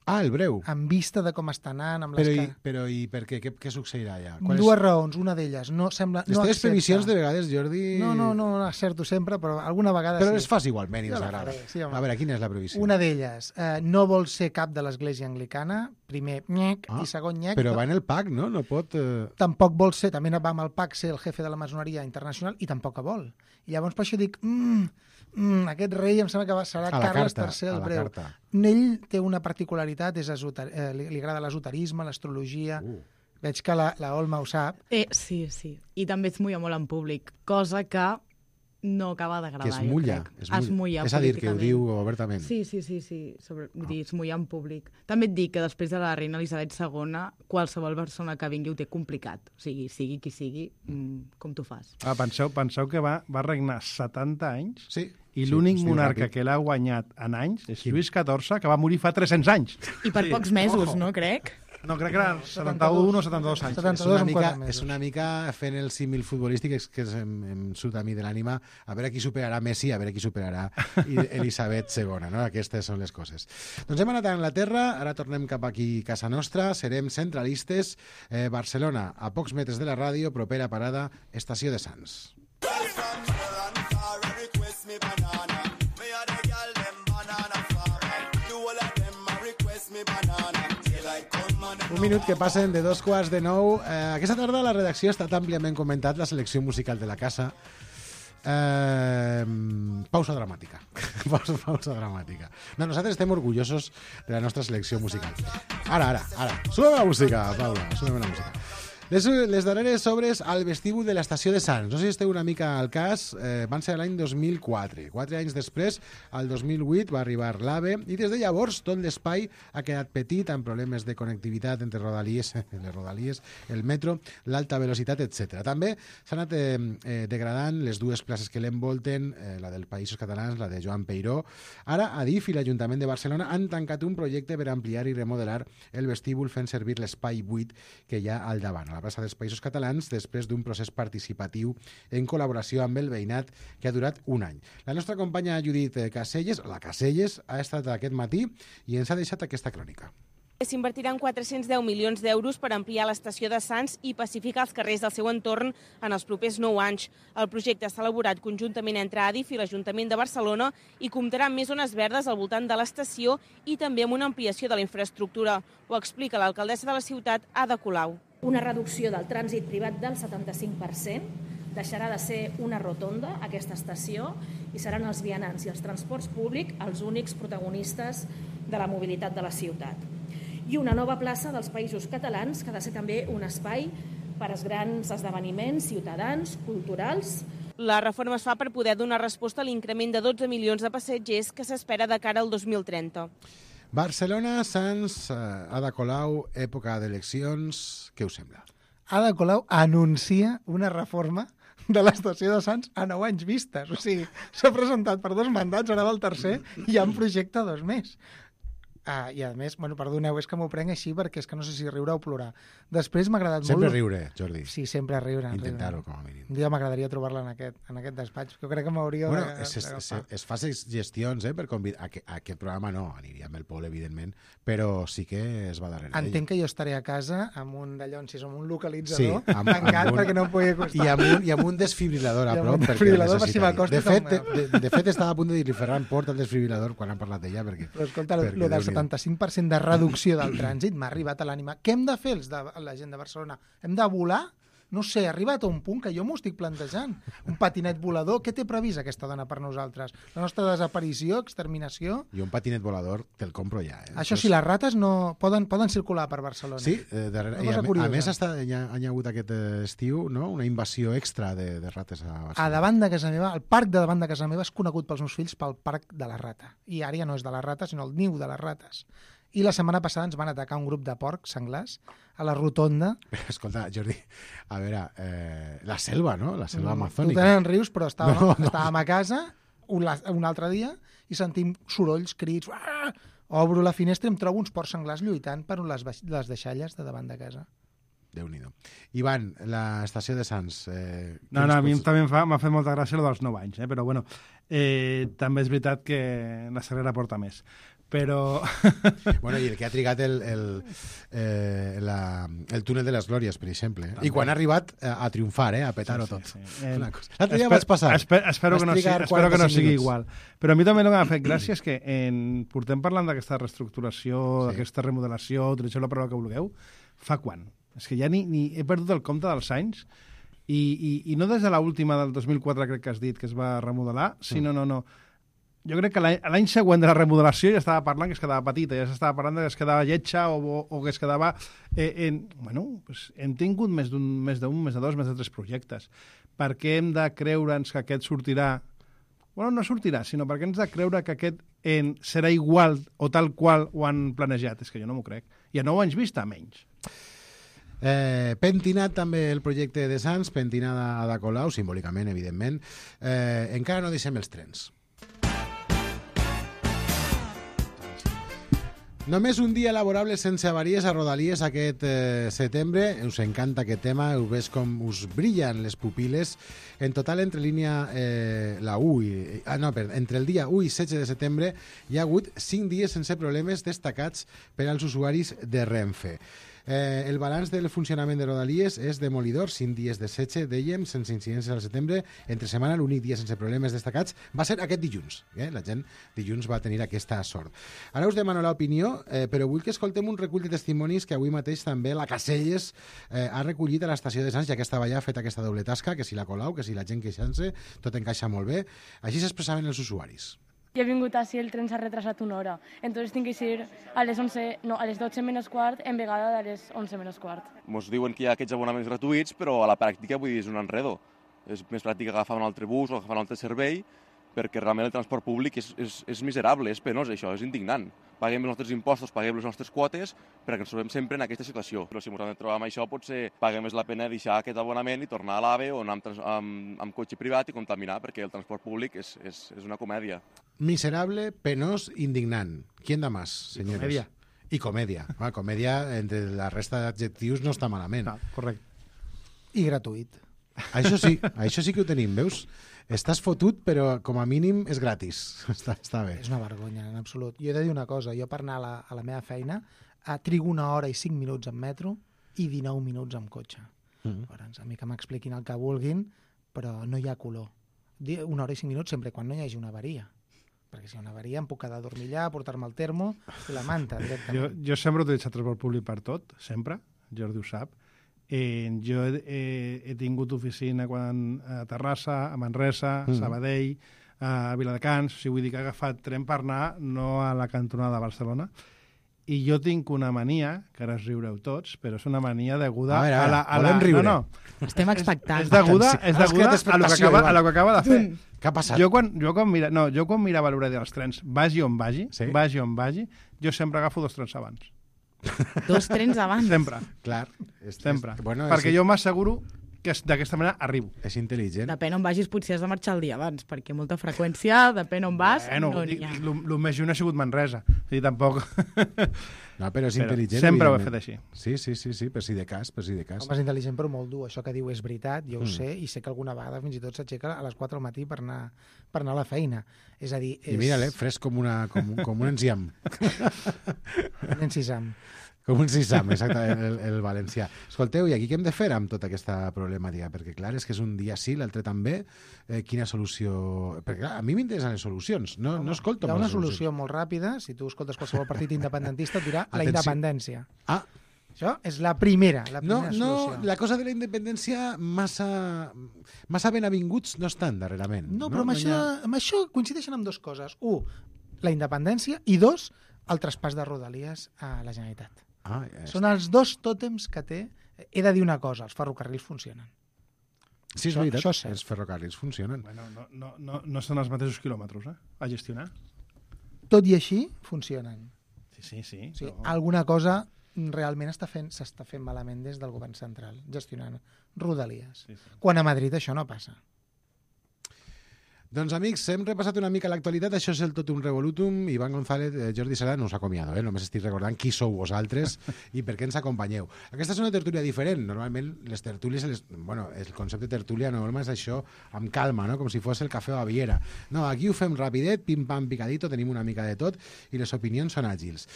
Ah, el breu. En vista de com està anant, amb Però les i, que... però i per què? Què, què succeirà allà? Dues és... raons. Una d'elles no sembla... Les no teves accepta. previsions de vegades, Jordi... No, no, no, no acerto sempre, però alguna vegada Però sí. les fas igualment i Jo ens la agrada. faré, sí, home. A veure, quina és la previsió? Una d'elles, eh, no vol ser cap de l'església anglicana, primer nyec, Ah, i segon nyec. Però no, va en el pack, no? No pot... Eh... Tampoc vol ser, també va amb el P A C ser el jefe de la maçoneria internacional, i tampoc que vol. I llavors per això dic, mm, mm, aquest rei em sembla que va, serà A la Carles carta, tercer a el la breu. carta. Ell té una particularitat, és esoter... eh, li, li agrada l'esoterisme, l'astrologia... Uh. Veig que la, la Olma ho sap. Eh, sí, sí. I també es mulla molt en públic, cosa que no acaba d'agradar, Que es mulla. jo crec. Es mulla. Es mulla És a dir, que ho políticament. diu obertament. Sí, sí, sí, sí. Sobre, vull dir, es mulla en públic. També et dic que després de la reina Elisabet segona, qualsevol persona que vingui ho té complicat. O sigui, sigui qui sigui, mm, com tu fas. Ah, penseu, penseu que va, va regnar setanta anys Sí. i Sí, l'únic es diu monarca ràpid. que l'ha guanyat en anys és Lluís catorze, que va morir fa tres-cents anys. I per pocs mesos, no, crec? No, crec que eren setanta-un o setanta-dos anys. És setanta-dos una, amb mica, quatre mesos. és una mica fent el símil futbolístic és que em, em surt a mi de l'ànima a veure qui superarà Messi, a veure qui superarà Elisabet segona, no? Aquestes són les coses. Doncs hem anat a Anglaterra, ara tornem cap aquí a casa nostra, serem centralistes. Eh, Barcelona, a pocs metres de la ràdio, propera parada, Estació de Sants. Un minut que passen de dos quarts de nou. Eh, aquesta tarda a la redacció ha estat àmpliament comentat la selecció musical de la casa. Eh, pausa dramàtica. pausa, pausa dramàtica. No, nosaltres estem orgullosos de la nostra selecció musical. Ara, ara, ara. Súbeme la música, Paula, súbeme la música. Les, les darreres obres al vestíbul de l'estació de Sants. No sé si esteu una mica al cas, eh, van ser l'any dos mil quatre. Quatre anys després, al dos mil vuit, va arribar l'AVE i des de llavors tot l'espai ha quedat petit amb problemes de connectivitat entre rodalies, les rodalies, el metro, l'alta velocitat, etcètera. També s'han anat eh, eh, degradant les dues places que l'envolten, eh, la del Països Catalans, la de Joan Peiró. Ara, Adif i l'Ajuntament de Barcelona han tancat un projecte per ampliar i remodelar el vestíbul fent servir l'espai buit que hi ha al davant, a la plaça dels Països Catalans, després d'un procés participatiu en col·laboració amb el veïnat que ha durat un any. La nostra companya Judit Caselles, la Caselles, ha estat aquest matí i ens ha deixat aquesta crònica. S'invertiran quatre-cents deu milions d'euros per ampliar l'estació de Sants i pacificar els carrers del seu entorn en els propers nou anys. El projecte s'ha elaborat conjuntament entre Adif i l'Ajuntament de Barcelona i comptarà amb més zones verdes al voltant de l'estació i també amb una ampliació de la infraestructura. Ho explica l'alcaldessa de la ciutat, Ada Colau. Una reducció del trànsit privat del setanta-cinc per cent, deixarà de ser una rotonda aquesta estació i seran els vianants i els transports públics els únics protagonistes de la mobilitat de la ciutat. I una nova plaça dels Països Catalans, que ha de ser també un espai per als grans esdeveniments ciutadans, culturals. La reforma es fa per poder donar resposta a l'increment de dotze milions de passatgers que s'espera de cara al dos mil trenta. Barcelona, Sants, Ada Colau, època d'eleccions, què us sembla? Ada Colau anuncia una reforma de l'estació de Sants a nou anys vistes. O sigui, s'ha presentat per dos mandats, ara va el tercer, i hi ha un projecte dos més. Ah, I a més, bueno, perdoneu, és que m'ho prenc així perquè és que no sé si riure o plorar. Després m'ha agradat sempre molt... Sempre riure, Jordi. Sí, sempre riure. Intentar-ho, com a mínim. Un dia m'agradaria trobar-la en aquest, en aquest despatx. Jo crec que m'hauria bueno, de... es, es, es, es fa gestions, eh, per convidar... A, a aquest programa no, aniria amb el Pol, evidentment, però sí que es va darrere Entenc ell. que jo estaré a casa amb un d'allò, si som un localitzador, sí, amb, tancat amb un, perquè no em pugui acostar. I amb un, i amb un desfibrilador a prop, un perquè desfibrilador per si necessitaria. De fet, com... de, de, de fet, estava a punt de dir-li Ferran, porta el desfibrilador quan han parlat d'ella, perquè... Però escolta, el del setanta-cinc per cent de reducció del trànsit m'ha arribat a l'ànima. Què hem de fer els de la gent de Barcelona? Hem de volar? No sé, ha arribat a un punt que jo m'ho estic plantejant. Un patinet volador, què té previst aquesta dona per nosaltres? La nostra desaparició, exterminació? I un patinet volador te'l compro ja. Eh? Això sí, les rates no poden, poden circular per Barcelona. Sí, eh, darrere, i a, a més està, hi, ha, hi ha hagut aquest estiu, no? Una invasió extra de, de rates a Barcelona. A davant de casa meva, el parc de davant de casa meva és conegut pels meus fills pel parc de la rata. I ara ja no és de la rata, sinó el niu de les rates. I la setmana passada ens van atacar un grup de porcs senglars a la rotonda. Escolta, Jordi, a veure, eh, la selva, no? La selva mm, amazònica. Tu tenen rius, però estàvem, no, no. estàvem a casa un, un altre dia i sentim sorolls, crits... Uah! Obro la finestra i em trobo uns porcs senglars lluitant per les, les deixalles de davant de casa. Déu-n'hi-do. Ivan, l'estació de Sants... Eh, no, no, a mi també m'ha fet molta gràcia el dels nou anys, eh? Però bueno, eh, també és veritat que la Sagrera porta més. Però... bueno, i el que ha trigat el, el, eh, la, el túnel de les Glòries, per exemple. Eh? I quan ha arribat a, a triomfar, eh? A petar-ho sí, tot. Sí, sí. Eh, L'altre dia vaig passar. Esper, espero que no, sigui, espero que no sigui igual. Però a mi també el que m'ha fet gràcia és que en, portem parlant d'aquesta reestructuració, sí. d'aquesta remodelació, utilitzeu la paraula que vulgueu, fa quan? És que ja ni, ni he perdut el compte dels anys i, i, i no des de l'última del dos mil quatre, crec que has dit, que es va remodelar, sinó, no, no, jo crec que l'any següent de la remodelació ja estava parlant que es quedava petita, ja s'estava parlant que es quedava lletja o, o, o que es quedava... Eh, en, bueno, pues hem tingut més d'un, més d'un, més de dos, més de tres projectes. Per què hem de creure'ns que aquest sortirà... Bueno, no sortirà, sinó perquè hem de creure que aquest en, serà igual o tal qual ho han planejat. És que jo no m'ho crec. I a nou anys vista, menys. Eh, pentinat també el projecte de Sants, pentinada a Ada Colau, simbòlicament, evidentment. Eh, encara no deixem els trens. Només un dia laborable sense avaries a Rodalies aquest eh, setembre. Us encanta aquest tema, heu vist com us brillen les pupil·les. En total, entre línia eh, la u i, ah, no, perdó, entre el dia u i setze de setembre hi ha hagut cinc dies sense problemes destacats per als usuaris de Renfe. Eh, el balanç del funcionament de Rodalies és demolidor, cinc dies de setge, dèiem, sense incidències al setembre. Entre setmana, l'únic dia sense problemes destacats va ser aquest dilluns. Eh? La gent dilluns va tenir aquesta sort. Ara us demano l'opinió, eh, però vull que escoltem un recull de testimonis que avui mateix també la Caselles eh, ha recollit a l'estació de Sants, ja que estava ja feta aquesta doble tasca, que si la Colau, que si la gent queixant-se, tot encaixa molt bé. Així s'expressaven els usuaris. Jo he vingut així, el tren s'ha retrasat una hora. Entonces tinc que ir a les onze, no, a les dotze menys quart, en vegada de les onze menys quart. Ens diuen que hi ha aquests abonaments gratuïts, però a la pràctica vull dir, és un enredo. És més pràctic agafar un altre bus o agafar un altre servei, perquè realment el transport públic és, és, és miserable, és penós això, és indignant. Paguem els nostres impostos, paguem les nostres quotes, perquè ens trobem sempre en aquesta situació. Però si ens hem de trobar amb això, potser paguem més la pena deixar aquest abonament i tornar a l'AVE o anar amb, amb, amb cotxe privat i contaminar, perquè el transport públic és, és, és una comèdia. Miserable, penós, indignant. ¿Quién da más, señores? Comèdia. I comèdia. Ah, comèdia, entre la resta d'adjectius, no està malament. No, correcte. I gratuït. Això sí, això sí que ho tenim, veus? Estàs fotut, però com a mínim és gratis. Està, està bé. És una vergonya, en absolut. Jo he de dir una cosa, jo per anar a la, a la meva feina a trigo una hora i cinc minuts en metro i dinou minuts en cotxe. Mm. Llavors, a mi que m'expliquin el que vulguin, però no hi ha color. Una hora i cinc minuts sempre quan no hi hagi una avaria. Perquè si hi ha una avaria em puc quedar a dormir allà, portar-me el termo i la manta directament. Jo, jo sempre he utilitzat transport públic per tot, sempre, Jordi ho sap. Eh, jo he, he, he tingut oficina quan, a Terrassa, a Manresa, a Sabadell, a Viladecans, o sigui, vull dir que he agafat tren per anar, no a la cantonada de Barcelona, I jo tinc una mania, que ara es riureu tots, però és una mania deguda a, veure, a la... A la volem riure. No, no. Estem expectants. És deguda, és deguda a, lo que acaba, a lo que acaba de fer. Què ha passat? Jo quan, jo quan, mira, no, jo quan mirava l'horari dels trens, vagi on vagi, sí? vagi on vagi, jo sempre agafo dos trens abans. Dos trens abans? Sempre. Clar. És, sempre. És, bueno, Perquè és, jo m'asseguro que d'aquesta manera arribo. És intel·ligent. Depèn on vagis, potser has de marxar el dia abans, perquè molta freqüència, depèn on vas, bueno, no n'hi ha. El més lluny ha sigut Manresa. O sigui, tampoc... No, però és però intel·ligent. Sempre ho he fet així. Sí, sí, sí, sí, per si de cas, per si de cas. Home, és intel·ligent però molt dur. Això que diu és veritat, jo ho Mm. sé, i sé que alguna vegada fins i tot s'aixeca a les quatre del matí per anar, per anar a la feina. És a dir... És... I mira-le, fresc com, una, com, com un enciam. Un encisam. Com un sisam, exactament, el, el valencià. Escolteu, i aquí què hem de fer amb tota aquesta problemàtica? Perquè, clar, és que és un dia sí, l'altre també. Eh, quina solució... Perquè, clar, a mi m'interessen les solucions. No, no escolto Hi ha una solucions. solució molt ràpida. Si tu escoltes qualsevol partit independentista, et dirà la Atenció. independència. Ah. Això és la primera, la No, primera no, solució. la cosa de la independència massa, massa ben avinguts no estan darrerament. No, però amb, no això, ha... amb això coincideixen amb dues coses. Un, la independència, i dos, el traspàs de Rodalies a la Generalitat. Ah, ja Són els dos tòtems que té. He de dir una cosa, els ferrocarrils funcionen. Sí, és això, veritat, això és cert. els ferrocarrils funcionen. Bueno, no, no, no, no són els mateixos quilòmetres, eh? A gestionar. Tot i així, funcionen. Sí, sí, sí. O sigui, però... alguna cosa realment està fent, s'està fent malament des del govern central, gestionant Rodalies. Sí, sí. Quan a Madrid això no passa. Doncs, amics, hem repassat una mica l'actualitat. Això és el Totum Revolutum. Ivan González, eh, Jordi Sala, no us acomiado, eh? Només estic recordant qui sou vosaltres i per què ens acompanyeu. Aquesta és una tertúlia diferent. Normalment, les tertúlies, les... bueno, el concepte de tertúlia normal és això, amb calma, no? Com si fos el cafè o Baviera. No, aquí ho fem rapidet, pim-pam, picadito, tenim una mica de tot i les opinions són àgils.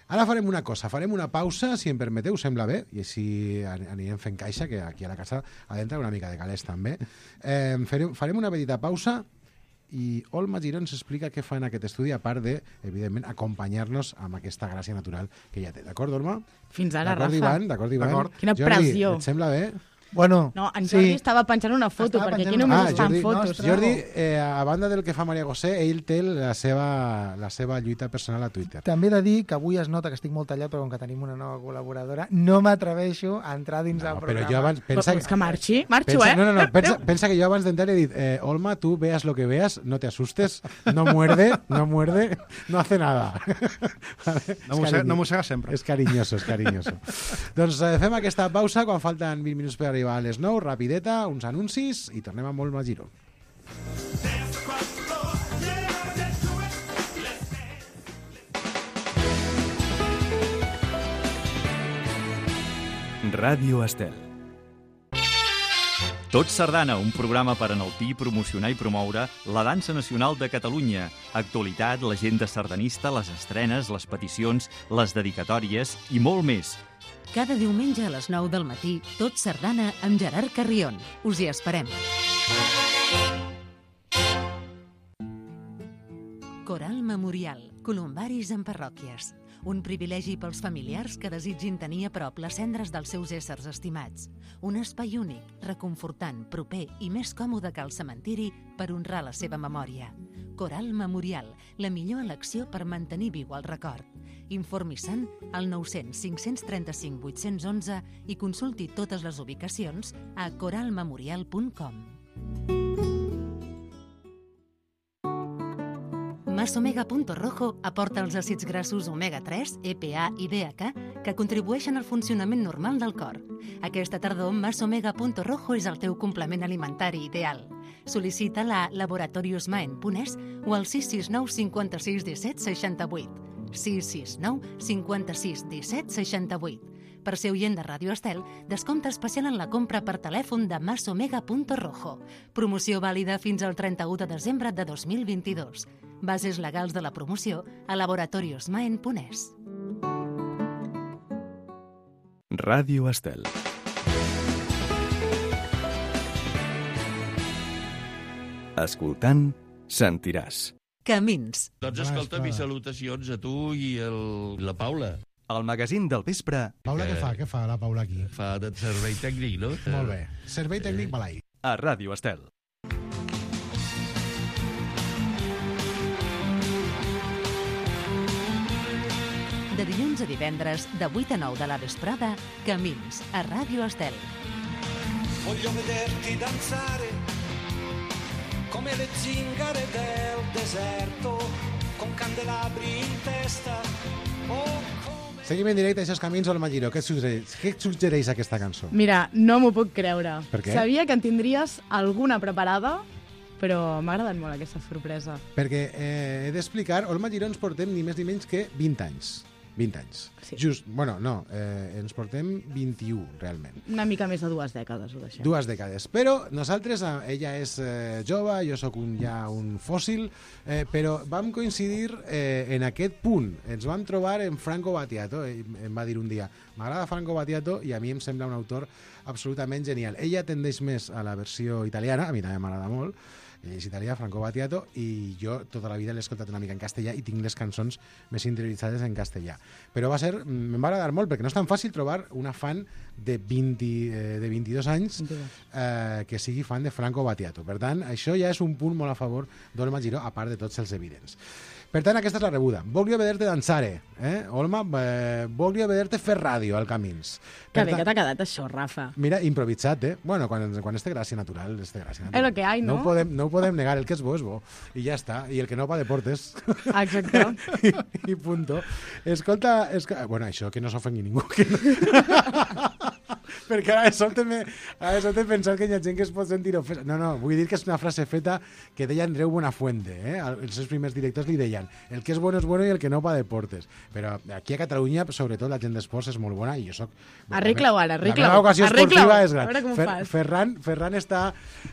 Ara farem una cosa, farem una pausa, si em permeteu, sembla bé, i així anirem fent caixa, que aquí a la casa ha d'entrar una mica de calés també. Eh, farem, farem una petita pausa i Olma Giró ens explica què fa en aquest estudi, a part de, evidentment, acompanyar-nos amb aquesta gràcia natural que ja té. D'acord, Olma? Fins ara, D'acord, Rafa. Ivan? D'acord, Ivan? Quina Jordi, pressió. et sembla bé? Bueno, no, en Jordi sí. estava penjant una foto, Estava perquè penjant aquí només ah, es fan Jordi, fotos. No, Jordi, eh, a banda del que fa Maria José, ell té la seva, la seva lluita personal a Twitter. També he de dir que avui es nota que estic molt tallat, però com que tenim una nova col·laboradora, no m'atreveixo a entrar dins del No, programa. però jo abans... Pensa, Però és que marxi, marxo, pensa, eh? No, no, no, pensa, pensa que jo abans d'entrar he dit eh, Olma, tu veas lo que veas, no te asustes, no muerde, no muerde, no hace nada. Vale? No mossega, no mossega sempre. És carinyoso, és carinyoso. Doncs eh, fem aquesta pausa quan falten vint minuts per arribar a les nou, rapideta, uns anuncis i tornem amb molt Magiro. Ràdio Estel. Tot Sardana, un programa per enaltir, promocionar i promoure la dansa nacional de Catalunya. Actualitat, l'agenda sardanista, les estrenes, les peticions, les dedicatòries i molt més. Cada diumenge a les nou del matí, Tot Sardana amb Gerard Carrion. Us hi esperem. Coral Memorial. Columbaris en parròquies. Un privilegi pels familiars que desitgin tenir a prop les cendres dels seus éssers estimats. Un espai únic, reconfortant, proper i més còmode que el cementiri per honrar la seva memòria. Coral Memorial, la millor elecció per mantenir viu el record. Informi-se'n al nou cents cinc cents trenta-cinc vuit-cents onze i consulti totes les ubicacions a coral memorial punt com. Masomega Punto Rojo aporta els àcids grassos omega tres, E P A i D H A que contribueixen al funcionament normal del cor. Aquesta tardor, Masomega Punto Rojo és el teu complement alimentari ideal. Sol·licita-la a laboratorios maen punt es o al sis sis nou cinquanta-sis disset seixanta-vuit. sis sis nou cinquanta-sis disset seixanta-vuit. Per ser oient de Ràdio Estel, descompte especial en la compra per telèfon de Masomega Punto Rojo. Promoció vàlida fins al trenta-u de desembre de dos mil vint-i-dos. Bases legals de la promoció a laboratorios maen punt es. Ràdio Estel. Escoltant, sentiràs. Camins. Doncs escolta, mis salutacions a tu i el, la Paula. El magazín del vespre. Paula, què fa? Què fa la Paula aquí? Fa de servei tècnic, no? Molt bé. Servei tècnic Balai. A Ràdio Estel. De dilluns a divendres, de vuit a nou de la vesprada, Camins, a Ràdio Estel. Voglio vederti danzare come le zingare del deserto con candelabri in testa o come... Seguim en directe, això és Camins, Olma Giró. Què et suggereix, què et suggereix aquesta cançó? Mira, no m'ho puc creure. Per què? Sabia que en tindries alguna preparada, però m'ha agradat molt aquesta sorpresa. Perquè eh, he d'explicar, Olma Giró ens portem ni més ni menys que vint anys. vint anys. Sí. Just, bueno, no, eh, ens portem vint-i-u, realment. Una mica més de dues dècades, ho deixem. Dues dècades. Però nosaltres, ella és eh, jove, jo sóc un, ja un fòssil, eh, però vam coincidir eh, en aquest punt. Ens vam trobar en Franco Battiato. Ell em va dir un dia, m'agrada Franco Battiato i a mi em sembla un autor absolutament genial. Ella tendeix més a la versió italiana, a mi també m'agrada molt, ell és italià, Franco Battiato, i jo tota la vida l'he escoltat una mica en castellà i tinc les cançons més interioritzades en castellà. Però va ser, em va agradar molt, perquè no és tan fàcil trobar una fan de, vint, eh, de vint-i-dos anys eh, que sigui fan de Franco Battiato. Per tant, això ja és un punt molt a favor d'Olma Giró, a part de tots els evidents. Per tant, aquesta és la rebuda. Voglio vederte danzare, eh? Olma, eh, voglio vederte fer ràdio al Camins. Que bé que t'ha quedat això, Rafa. Mira, improvisat, eh? Bueno, quan, quan és de gràcia natural, és de gràcia natural. És lo que hay, no? No ho podem, no ho podem negar, el que és bo és bo. I ja està. I el que no va deportes. Exacte. I, I punto. Escolta, escolta, bueno, això que no s'ofengui ningú. Que no... Perquè ara de sobte he pensat que hi ha gent que es pot sentir ofesa. No, no, vull dir que és una frase feta que deia Andreu Buenafuente, eh? Els seus primers directors li deien el que és bueno és bueno i el que no pa deportes. Però aquí a Catalunya, sobretot, la gent d'esports és molt bona i jo soc... Arregla-ho ara, arregla-ho. La meva ocasió esportiva és gran. A veure com Fer, fas. Ferran, Ferran, està,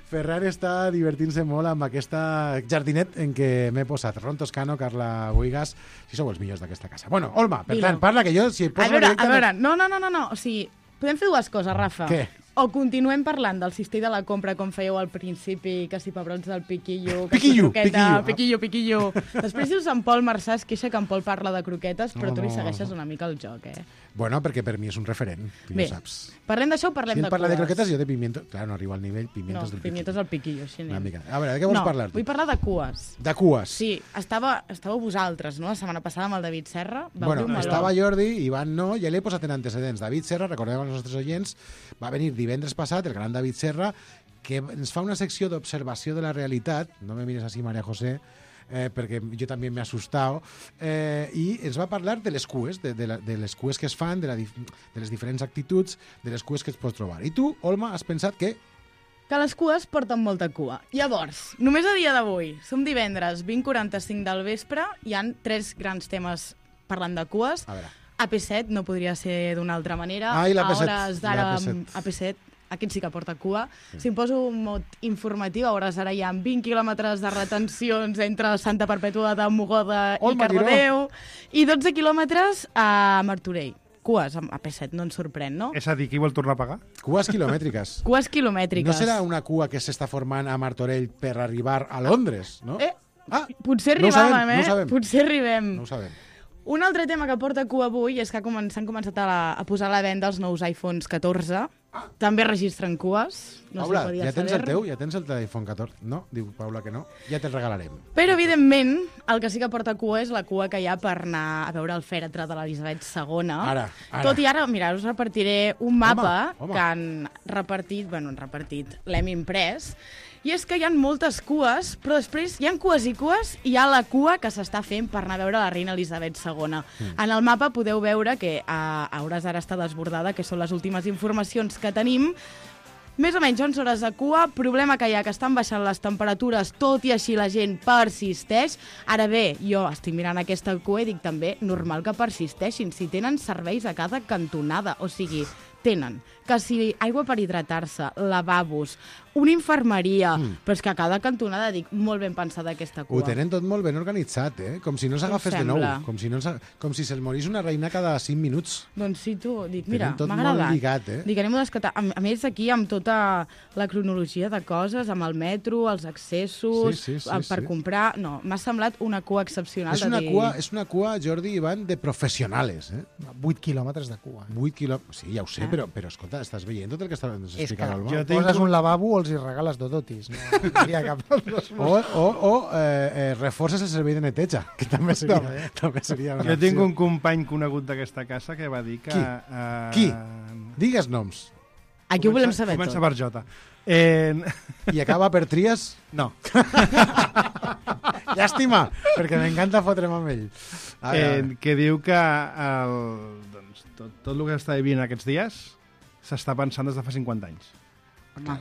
Ferran està divertint-se molt amb aquesta jardinet en què m'he posat. Ron Toscano, Carla Boigas, si sou els millors d'aquesta casa. Bueno, Olma, per tant, parla que jo... Si a veure, a veure, no, no, no, no, no, o sigui... Podem fer dues coses, Rafa. Què? O continuem parlant del cistell de la compra com fèieu al principi, que si pebrots del piquillo, que piquillo, si croqueta, piquillo. piquillo, piquillo. Després dius en Pol Marçà, es queixa que en Pol parla de croquetes, però No, tu li no, segueixes no. una mica el joc, eh? Bueno, perquè per mi és un referent, tu Bé, ja saps. parlem d'això o parlem si de ell parla de cues? croquetes, jo de pimientos... Clar, no arriba al nivell pimientos No, del pimientos del piquillo, així anem. Una mica. A veure, de què vols no, parlar tu? vull parlar de cues. De cues. Sí, estava, estàveu vosaltres, no? La setmana passada amb el David Serra. Vau Bueno, dir un meló. estava Jordi, Ivan no, ja l'he posat en antecedents. David Serra, recordem als nostres oients, va venir divendres passat, el gran David Serra, que ens fa una secció d'observació de la realitat, no me mires així, María José, eh, perquè jo també m'he assustat, eh, i ens va parlar de les cues, de, de, la, de les cues que es fan, de, la, de les diferents actituds, de les cues que es pots trobar. I tu, Olma, has pensat que... Que les cues porten molta cua. Llavors, només a dia d'avui, som divendres, vint quaranta-cinc del vespre, hi han tres grans temes parlant de cues. A veure. A P set no podria ser d'una altra manera. Ai, l'A P set, A hores d'ara, l'A P set. A P set, aquest sí que porta cua. Sí. Si em poso un mot informatiu, a hores d'ara hi ha vint quilòmetres de retencions entre Santa Perpètua de Mogoda i Olma, Cardedeu i dotze quilòmetres a Martorell. Cues a P set, no ens sorprèn, no? És a dir, qui vol tornar a pagar? Cues quilomètriques. Cues quilomètriques. No serà una cua que s'està formant a Martorell per arribar a Londres, no? Eh, ah, potser no ho arribàvem, sabem, eh? no ho sabem. Potser arribem. No ho sabem. Un altre tema que porta cua avui és que s'han començat a, la, a posar a la venda els nous iPhones catorze. Ah. També registren cues. No Paula, se podia ja tens saber. el teu? Ja tens el telèfon catorze? No? Diu Paula que no. Ja te'l regalarem. Però, evidentment, el que sí que porta cua és la cua que hi ha per anar a veure el fèretre de l'Elisabet segona. Ara, ara. Tot i ara, mira, us repartiré un mapa Home, home. que han repartit, bueno, han repartit, l'hem imprès, i és que hi ha moltes cues, però després hi ha cues i cues i hi ha la cua que s'està fent per anar a veure la reina Elisabet segona. Mm. En el mapa podeu veure que a, a hores d'ara està desbordada, que són les últimes informacions que tenim. Més o menys onze hores de cua, problema que hi ha, que estan baixant les temperatures, tot i així la gent persisteix. Ara bé, jo estic mirant aquesta cua i dic també normal que persisteixin, si tenen serveis a cada cantonada, o sigui, tenen que si aigua per hidratar-se, lavabos, una infermeria, mm. però és que a cada cantonada dic molt ben pensada aquesta cua. Ho tenen tot molt ben organitzat, eh? Com si no s'agafés de nou. Com si, no com si se'l morís una reina cada cinc minuts. Doncs sí, tu, dic, mira, tot m'ha molt agradat. lligat, eh? Dic, anem a descatar. A, a més, aquí amb tota la cronologia de coses, amb el metro, els accessos, sí, sí, sí, per sí. comprar... No, m'ha semblat una cua excepcional. És una, de dir... cua, és una cua, Jordi i Ivan, de professionales, eh? vuit quilòmetres de cua. vuit quilòmetres... Sí, ja ho sé, Ah. però, però escolta, estàs veient tot el que estàs És que explicant, Alba? jo poses un lavabo, els els hi regales dodotis. No, no hi ha cap dels dos. O, o, o eh, eh, reforces el servei de neteja, que també seria, També. també seria una Jo tinc opció. un company conegut d'aquesta casa que va dir que... Qui? Eh, Qui? Digues noms. Aquí ho volem saber Comença tot. per Jota. Eh... I acaba per Tries? No. Llàstima, perquè m'encanta fotre'm amb ell. A veure, Eh, que diu que el, doncs, tot, tot el que està vivint aquests dies s'està pensant des de fa cinquanta anys. Home.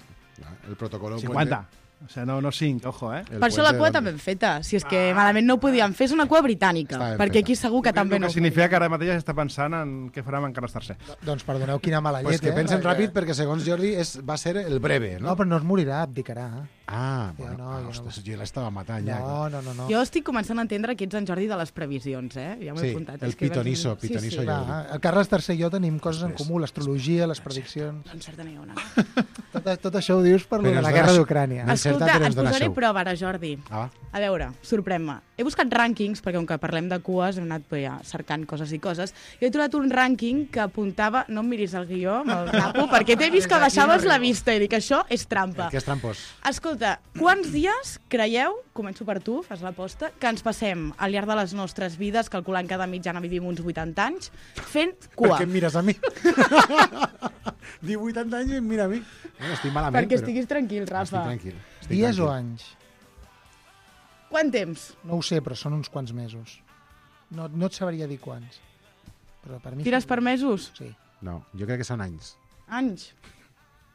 el protocolo... cinquanta. O sigui, no, no cinc, ojo, eh? Per això la cua també ben feta. Si és que malament no ho podíem fer, és una cua britànica, Està ben perquè feta. aquí segur que també El no que ho significa que ara mateix està pensant en què farà amb Carles tercer. Doncs perdoneu quina mala llet, Pues que eh? pensen Perquè- ràpid perquè segons Jordi és, va ser el breve, no? No, però no es morirà, abdicarà. Ah, Jo bueno, no, ah, jo no. ostres, jo l'estava matant ja. No, no, no. no. Jo estic començant a entendre que ets en Jordi de les previsions, eh? Ja m'ho he Sí, apuntat. el És que pitonisso, vaig- pitonisso sí, sí. Jordi. Va, el Carles tercer i jo tenim coses en Després. comú, l'astrologia, les prediccions... No encerta ni una. Tot, tot això ho dius per lo Però de ens la dona guerra això. d'Ucrània. No Escolta, encerta, però ens et dona posaré xou. prova ara, Jordi. Ah, va. A veure, sorprèn-me. He buscat rànquings, perquè com que parlem de cues, hem anat ja, cercant coses i coses, i he trobat un rànquing que apuntava... No em miris el guió, me'l tapo, perquè t'he vist que baixaves la vista i dic, això és trampa. Que és trampós. Escolta, quants dies creieu, començo per tu, fas l'aposta, que ens passem al llarg de les nostres vides, calculant que de mitjana vivim uns vuitanta anys, fent Per cua? què em mires a mi? Diu vuitanta anys i em mira a mi. No, estic malament, Perquè però... estiguis tranquil, Estic Rafa. tranquil. Estic Dies o tranquil. anys? Quant temps? No ho sé, però són uns quants mesos. No, no et sabria dir quants. Però per mi... Tires per mesos? Sí. No, jo crec que són anys. Anys?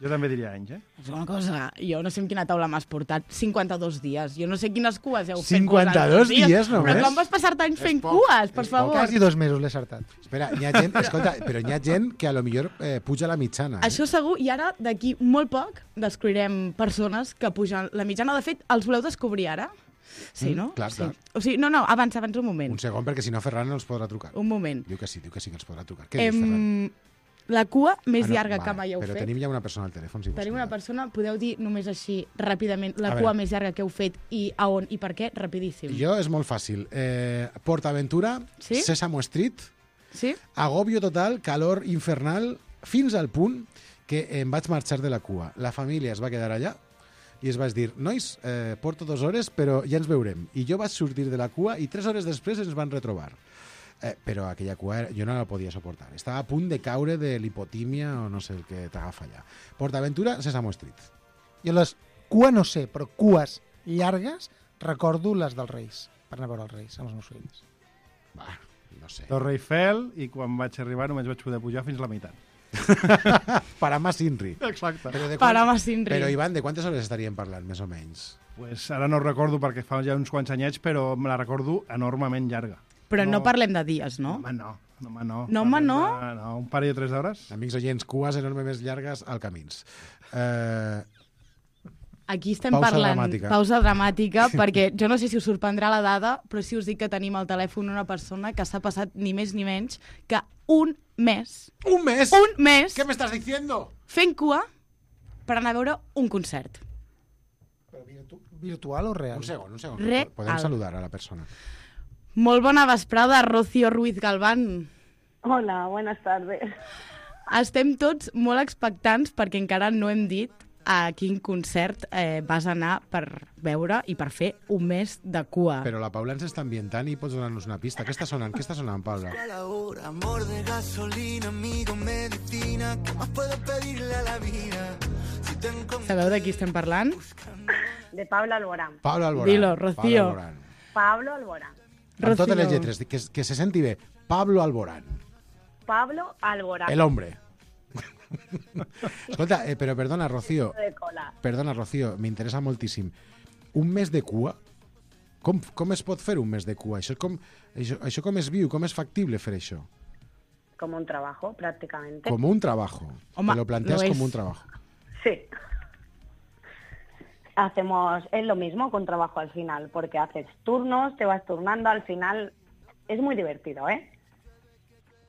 Jo també diria anys, eh? És una cosa, jo no sé en quina taula m'has portat. cinquanta-dos dies. Jo no sé quines cues heu fet cinquanta-dos vosaltres, dies només? Però com vas passar-te anys fent poc, cues, per és poc. favor? Quasi dos mesos l'he acertat. Espera, hi ha gent, escolta, però hi ha gent que a lo millor eh, puja la mitjana. Eh? Això segur, i ara, d'aquí molt poc, descobrirem persones que pugen la mitjana. De fet, els voleu descobrir ara? Sí, Mm, no? clar, sí. clar. O sigui, no, no, abans, abans un moment. Un segon, perquè si no Ferran no els podrà trucar. Un moment. Diu que sí, diu que sí que els podrà trucar. Què dius, Ferran? Em... La cua més Ah, no, llarga vale, que mai heu però fet. tenim ja una persona al telèfon, si vols. Tenim una persona, podeu dir només així, ràpidament, la A cua veure. més llarga que heu fet i a on i per què? Rapidíssim. Jo és molt fàcil. Eh, PortAventura, Sí? Sésamo Street, Sí? agobio total, calor infernal, fins al punt que em vaig marxar de la cua. La família es va quedar allà i es vaig dir, nois, eh, porto dues hores, però ja ens veurem. I jo vaig sortir de la cua i tres hores després ens van retrobar. Eh, però aquella cua era, jo no la podia suportar. Estava a punt de caure de lipotímia o no sé el que t'agafa allà. PortAventura, Sésamo Street. Jo les cua no sé, però cues llargues recordo les dels Reis, per anar a veure els Reis amb els meus fills. Va, no sé. Torre Eiffel, i quan vaig arribar només vaig poder pujar fins la meitat. Parama Sinri. Exacte. Però, de Parama Sinri. però Ivan, de quantes hores estaríem parlant, més o menys? Pues ara no recordo perquè fa ja uns quants anyets, però me la recordo enormement llarga. Però no, no parlem de dies, no? Home, no. No, home, no. No, home, Parlem no? De, no, un parell o tres d'hores. Amics oients, cues enormes més llargues al camins. Eh, Aquí estem Pausa parlant... dramàtica. Pausa dramàtica, perquè jo no sé si us sorprendrà la dada, però si us dic que tenim al telèfon una persona que s'ha passat ni més ni menys que un mes... Un mes? Un mes! ¿Qué me estás diciendo? Fent cua per anar a veure un concert. Però virtu virtual o real? Un segon, un segon. Real. Podem saludar a la persona. Molt bona vesprada, Rocío Ruiz Galván. Hola, buenas tardes. Estem tots molt expectants perquè encara no hem dit a quin concert eh, vas anar per veure i per fer un mes de cua. Però la Paula ens està ambientant i pots donar-nos una pista. Què està sonant? Què està sonant, Paula? Amor de gasolina, amigo, medicina, ¿qué más puedo pedirle a la vida? Si te encuentro... Sabeu de qui estem parlant? De Pablo Alborán. Pablo Alborán. Dilo, Rocío. Pablo Alborán. Pablo Alborán. Amb totes les lletres, que, que se senti bé. Pablo Alborán. Pablo Alborán. El hombre. Escolta, eh, però perdona, Rocío. De cola. Perdona, Rocío, m'interessa moltíssim. Un mes de cua? Com, com es pot fer un mes de cua? Això com, això, això com es viu? Com és factible fer això? Como un trabajo, prácticamente. Com un trabajo. Home, Te lo planteas lo como es. un trabajo. Sí. Hacemos, es lo mismo que un trabajo al final, porque haces turnos, te vas turnando, al final es muy divertido, ¿eh?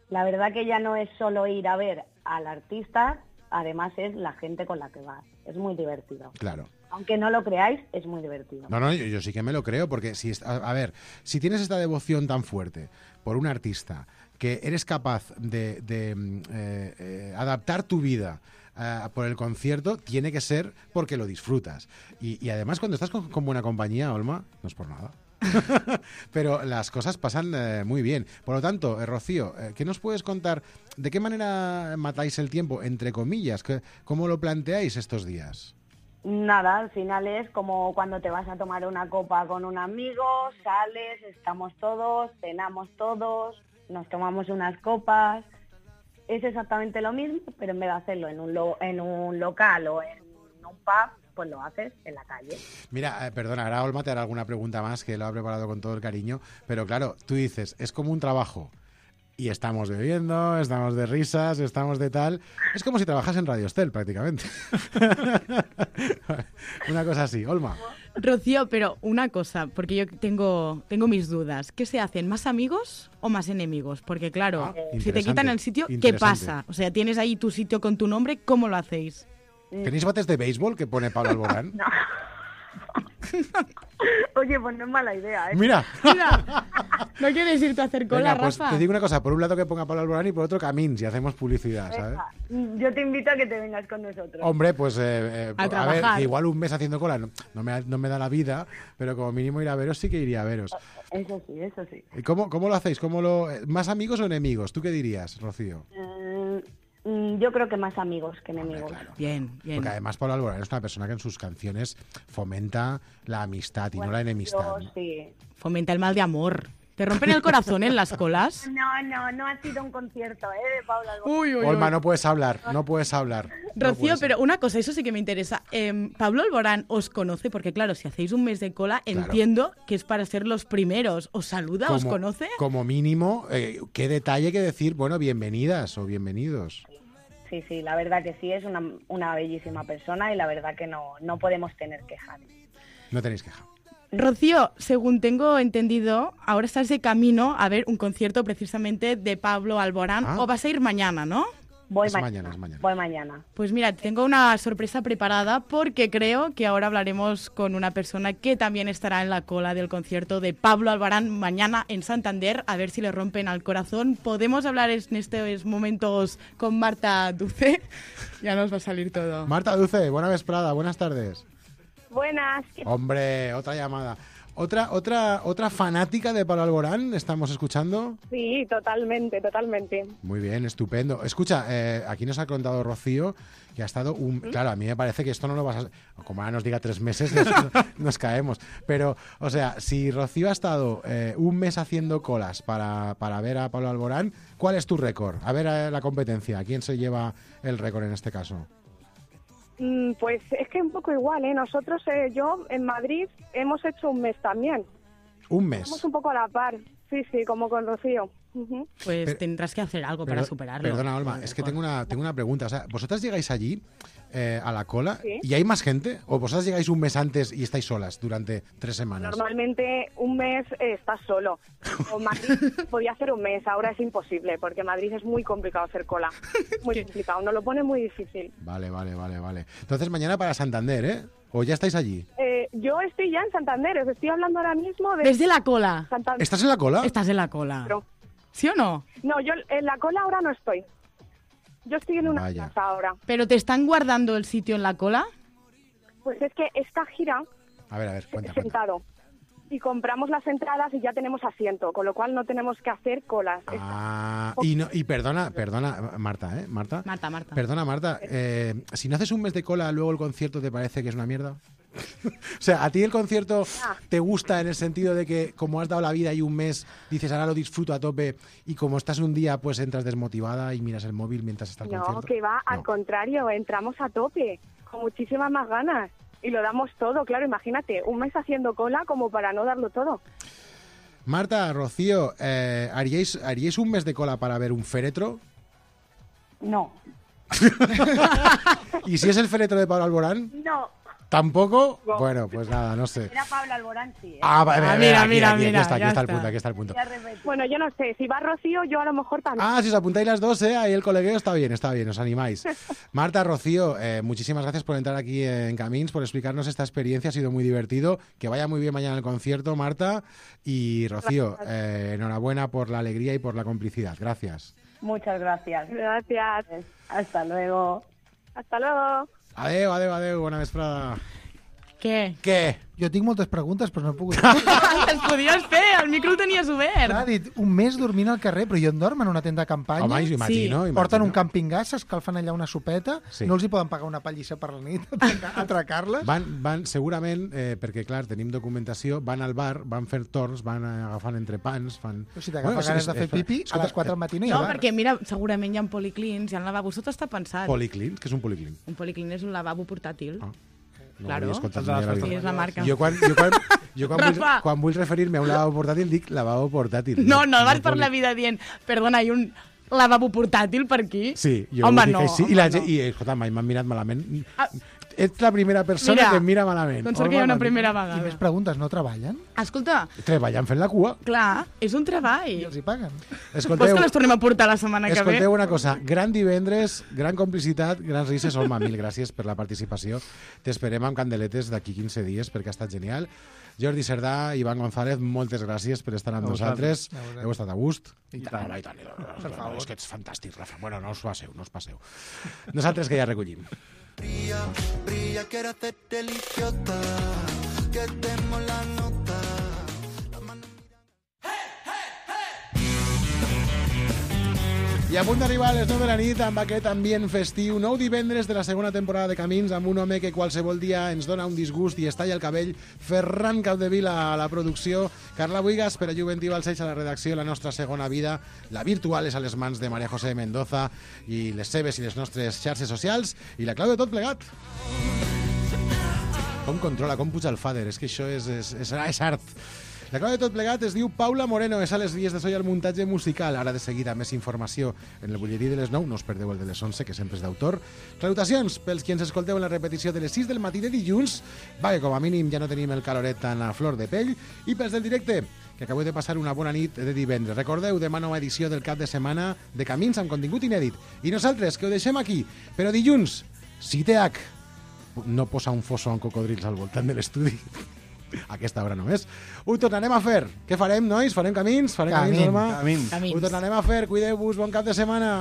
La verdad que ya no es solo ir a ver al artista, además es la gente con la que vas. Es muy divertido. Claro. Aunque no lo creáis, es muy divertido. No, no, yo, yo sí que me lo creo, porque si est- a, a ver, si tienes esta devoción tan fuerte por un artista, que eres capaz de, de, mm, eh, eh, adaptar tu vida uh, por el concierto, tiene que ser porque lo disfrutas. Y, y además, cuando estás con, con buena compañía, Olma, no es por nada. Pero las cosas pasan eh, muy bien. Por lo tanto, eh, Rocío, eh, ¿qué nos puedes contar? ¿De qué manera matáis el tiempo, entre comillas? ¿Qué, ¿Cómo lo planteáis estos días? Nada, al final es como cuando te vas a tomar una copa con un amigo, sales, estamos todos, cenamos todos, nos tomamos unas copas. Es exactamente lo mismo, pero en vez de hacerlo en un, lo, en un local o en un pub, pues lo haces en la calle. Mira, eh, perdona, ahora Olma te hará alguna pregunta más, que lo ha preparado con todo el cariño, pero claro, tú dices, es como un trabajo y estamos bebiendo, estamos de risas, estamos de tal... Es como si trabajas en Radio Estel, prácticamente. Una cosa así. Olma. Rocío, pero una cosa, porque yo tengo, tengo mis dudas. ¿Qué se hacen, más amigos o más enemigos? Porque claro, Ah, si te quitan el sitio, ¿qué pasa? O sea, tienes ahí tu sitio con tu nombre, ¿cómo lo hacéis? ¿Tenéis bates de béisbol que pone Pablo Alborán? No. Oye, pues no es mala idea, ¿eh? Mira. Mira, ¿no quieres irte a hacer cola, Venga, pues Rafa? te digo una cosa, por un lado que ponga Pablo Alborán y por otro Camins y hacemos publicidad, ¿sabes? Venga, yo te invito a que te vengas con nosotros. Hombre, pues eh, eh, A a, ver, trabajar. que igual un mes haciendo cola no, no, me, no me da la vida, pero como mínimo ir a veros sí que iría a veros. Eso sí, eso sí. ¿Y cómo, cómo lo hacéis? ¿Cómo lo, ¿Más amigos o enemigos? ¿Tú qué dirías, Rocío? Mm, yo creo que más amigos que enemigos. Bien, bien. Porque además Pablo Alborán es una persona que en sus canciones fomenta la amistad y Bueno, no la enemistad. yo sí. Fomenta el mal de amor. ¿Te rompen el corazón en las colas? No, no, no ha sido un concierto, ¿eh? De Paula Alborán. Uy, uy, Olma, uy. no puedes hablar, no puedes hablar. No Rocío, puedes pero una cosa, eso sí que me interesa. Eh, Pablo Alborán os conoce, porque claro, si hacéis un mes de cola, Claro. entiendo que es para ser los primeros. ¿Os saluda? ¿Os Como- conoce? Como mínimo, eh, qué detalle que decir, bueno, bienvenidas o bienvenidos. Sí, sí, la verdad que sí, es una, una bellísima persona y la verdad que no, no podemos tener quejas. No tenéis queja. Rocío, según tengo entendido, ahora estás de camino a ver un concierto precisamente de Pablo Alborán, Ah. o vas a ir mañana, ¿no? Voy Es ma- mañana, es mañana. Voy mañana. Pues mira, tengo una sorpresa preparada porque creo que ahora hablaremos con una persona que también estará en la cola del concierto de Pablo Alborán mañana en Santander, a ver si le rompen al corazón. Podemos hablar en estos momentos con Marta Duce, ya nos va a salir todo. Marta Duce, buena vesprada, buenas tardes. Buenas. Hombre, otra llamada. Otra, otra, otra fanática de Pablo Alborán, ¿estamos escuchando? Sí, totalmente, totalmente. Muy bien, estupendo. Escucha, eh, aquí nos ha contado Rocío que ha estado un... Claro, a mí me parece que esto no lo vas a... Como ahora nos diga tres meses, nos, nos caemos. Pero, o sea, si Rocío ha estado eh, un mes haciendo colas para, para ver a Pablo Alborán, ¿cuál es tu récord? A ver eh, la competencia, ¿quién se lleva el récord en este caso? Mm, Pues es que un poco igual, ¿eh? Nosotros, eh, yo en Madrid hemos hecho un mes también. Un mes. Estamos un poco a la par. Sí, sí, como con Rocío. Ujú. Pues Pero- tendrás que hacer algo para Perdo- superarlo. Perdona, Olma, es que tengo una, tengo una pregunta. O sea, ¿vosotras llegáis allí eh, a la cola Sí. y hay más gente? ¿O vosotras llegáis un mes antes y estáis solas durante tres semanas? Normalmente un mes eh, estás solo. O Madrid podía hacer un mes, ahora es imposible, porque Madrid es muy complicado hacer cola. Muy complicado, nos lo pone muy difícil. Vale, vale, vale, vale. Entonces mañana para Santander, ¿eh? ¿O ya estáis allí? Eh, yo estoy ya en Santander, os estoy hablando ahora mismo de... Desde la cola. Santander. ¿Estás en la cola? Estás en la cola. Pero- ¿Sí o no? No, yo en la cola ahora no estoy. Yo estoy en una Vaya. casa ahora. ¿Pero te están guardando el sitio en la cola? Pues es que esta gira A ver, a ver, cuenta, cuenta. sentado y compramos las entradas y ya tenemos asiento, con lo cual no tenemos que hacer colas. Ah, y, no, y perdona, perdona, Marta, ¿eh? Marta. Marta, Marta. Perdona, Marta. eh, si no haces un mes de cola, luego el concierto te parece que es una mierda. O sea, ¿a ti el concierto te gusta en el sentido de que como has dado la vida y un mes, dices ahora lo disfruto a tope y como estás un día, pues entras desmotivada y miras el móvil mientras está el No, concierto? que va, al No. contrario, entramos a tope, con muchísimas más ganas. Y lo damos todo, claro, imagínate, un mes haciendo cola como para no darlo todo. Marta, Rocío, eh, ¿haríais, ¿haríais un mes de cola para ver un féretro? No. ¿Y si es el féretro de Pablo Alborán? No. ¿Tampoco? No. Bueno, pues nada, no sé. Era Pablo Alborán, sí. ¿eh? Ah, vale, Ah, vale, mira, aquí, mira, aquí, aquí mira, está, aquí ya está el está. punto, aquí está el punto. Ya repetí. Bueno, yo no sé, si va Rocío, yo a lo mejor también. Ah, si os apuntáis las dos, ¿eh? Ahí el colegueo está bien, está bien, os animáis. Marta, Rocío, eh, muchísimas gracias por entrar aquí en Camins, por explicarnos esta experiencia, ha sido muy divertido. Que vaya muy bien mañana el concierto, Marta. Y Rocío, eh, enhorabuena por la alegría y por la complicidad. Gracias. Muchas gracias. Gracias. Hasta luego. Hasta luego. Adeu, adeu, adeu, bona vesprada. Què? Què? Jo tinc moltes preguntes, però no he pogut... Les podies fer, el micro el tenies obert. Clar, ha dit, un mes dormint al carrer, però jo en dorm en una tenda de campanya. Home, imagino, sí. imagino. Porten un camping gas, s'escalfen allà una sopeta, Sí. no els hi poden pagar una pallissa per la nit, atracar- atracar-les. Van, van segurament, eh, perquè clar, tenim documentació, van al bar, van fer torns, van agafant entrepans, fan... Però si t'agafa ganes de fer pipi, a les quatre del matí no hi ha No, bar. perquè mira, segurament hi ha policlins, hi ha lavabos, tot està pensat. Policlins? Què és un policlin? Un policlin és un lavabo portàtil. Ah. No claro. ho havia escoltat mai a la vida. Sí, és la marca. Jo quan, jo quan, jo quan, vull, Rafa. quan vull referir-me a un lavabo portàtil dic lavabo portàtil. No, no vas per poli- la vida dient, perdona, hi ha un lavabo portàtil per aquí? Sí, jo home, vull dir no, que sí. home, I, la, no. gent- i escolta, mai m'han mirat malament. Ah. Ets la primera persona Mira, que em mira malament. doncs perquè hi ha una Home, primera I vegada. més preguntes, no treballen? Escolta, Treballant fent la cua. clar, és un treball. I els hi paguen. Vols que les tornem a portar la setmana que ve? Escolteu una cosa, gran divendres, gran complicitat, grans risses. Olma, mil gràcies per la participació. T'esperem amb candeletes d'aquí quinze dies perquè ha estat genial. Jordi Cerdà, Ivan González, moltes gràcies per estar amb A nosaltres. vosaltres. A vosaltres. Heu estat a gust? I tant. Home, i tant, i tant. Per favor. És que ets fantàstic, Rafa. Bueno, no us passeu, no us passeu. Nosaltres que ja recollim. Brilla, brilla, quiero hacerte el idiota, que demos la nota. I a punt d'arribar a les nou de la nit amb aquest ambient festiu, nou divendres de la segona temporada de Camins, amb un home que qualsevol dia ens dona un disgust i es talla el cabell, Ferran Capdevila a la producció, Carla Buigas per a Juventí Balcells a la redacció, la nostra segona vida, la virtual és a les mans de Maria José Mendoza i les seves i les nostres xarxes socials, i la clau de tot plegat. Com controla, com puja el fader, és que això és, és, és, és art. La clau de tot plegat es diu Paula Moreno, és a les vies de so i el muntatge musical. Ara de seguida més informació en el butlletí de les nou, no us perdeu el de les onze, que sempre és d'autor. Salutacions pels qui ens escolteu en la repetició de les sis del matí de dilluns, va, que com a mínim ja no tenim el caloret tan a flor de pell, i pels del directe, que acabeu de passar una bona nit de divendres. Recordeu, demà nova edició del cap de setmana de Camins amb contingut inèdit. I nosaltres, que ho deixem aquí, però dilluns, si té H, no posa un fosso amb cocodrils al voltant de l'estudi, a aquesta hora només. Ho tornarem a fer. Què farem, nois? Farem camins? Farem camins, Camins. Norma? Camins. Camins. Ho tornarem a fer. Cuideu-vos. Bon cap de setmana.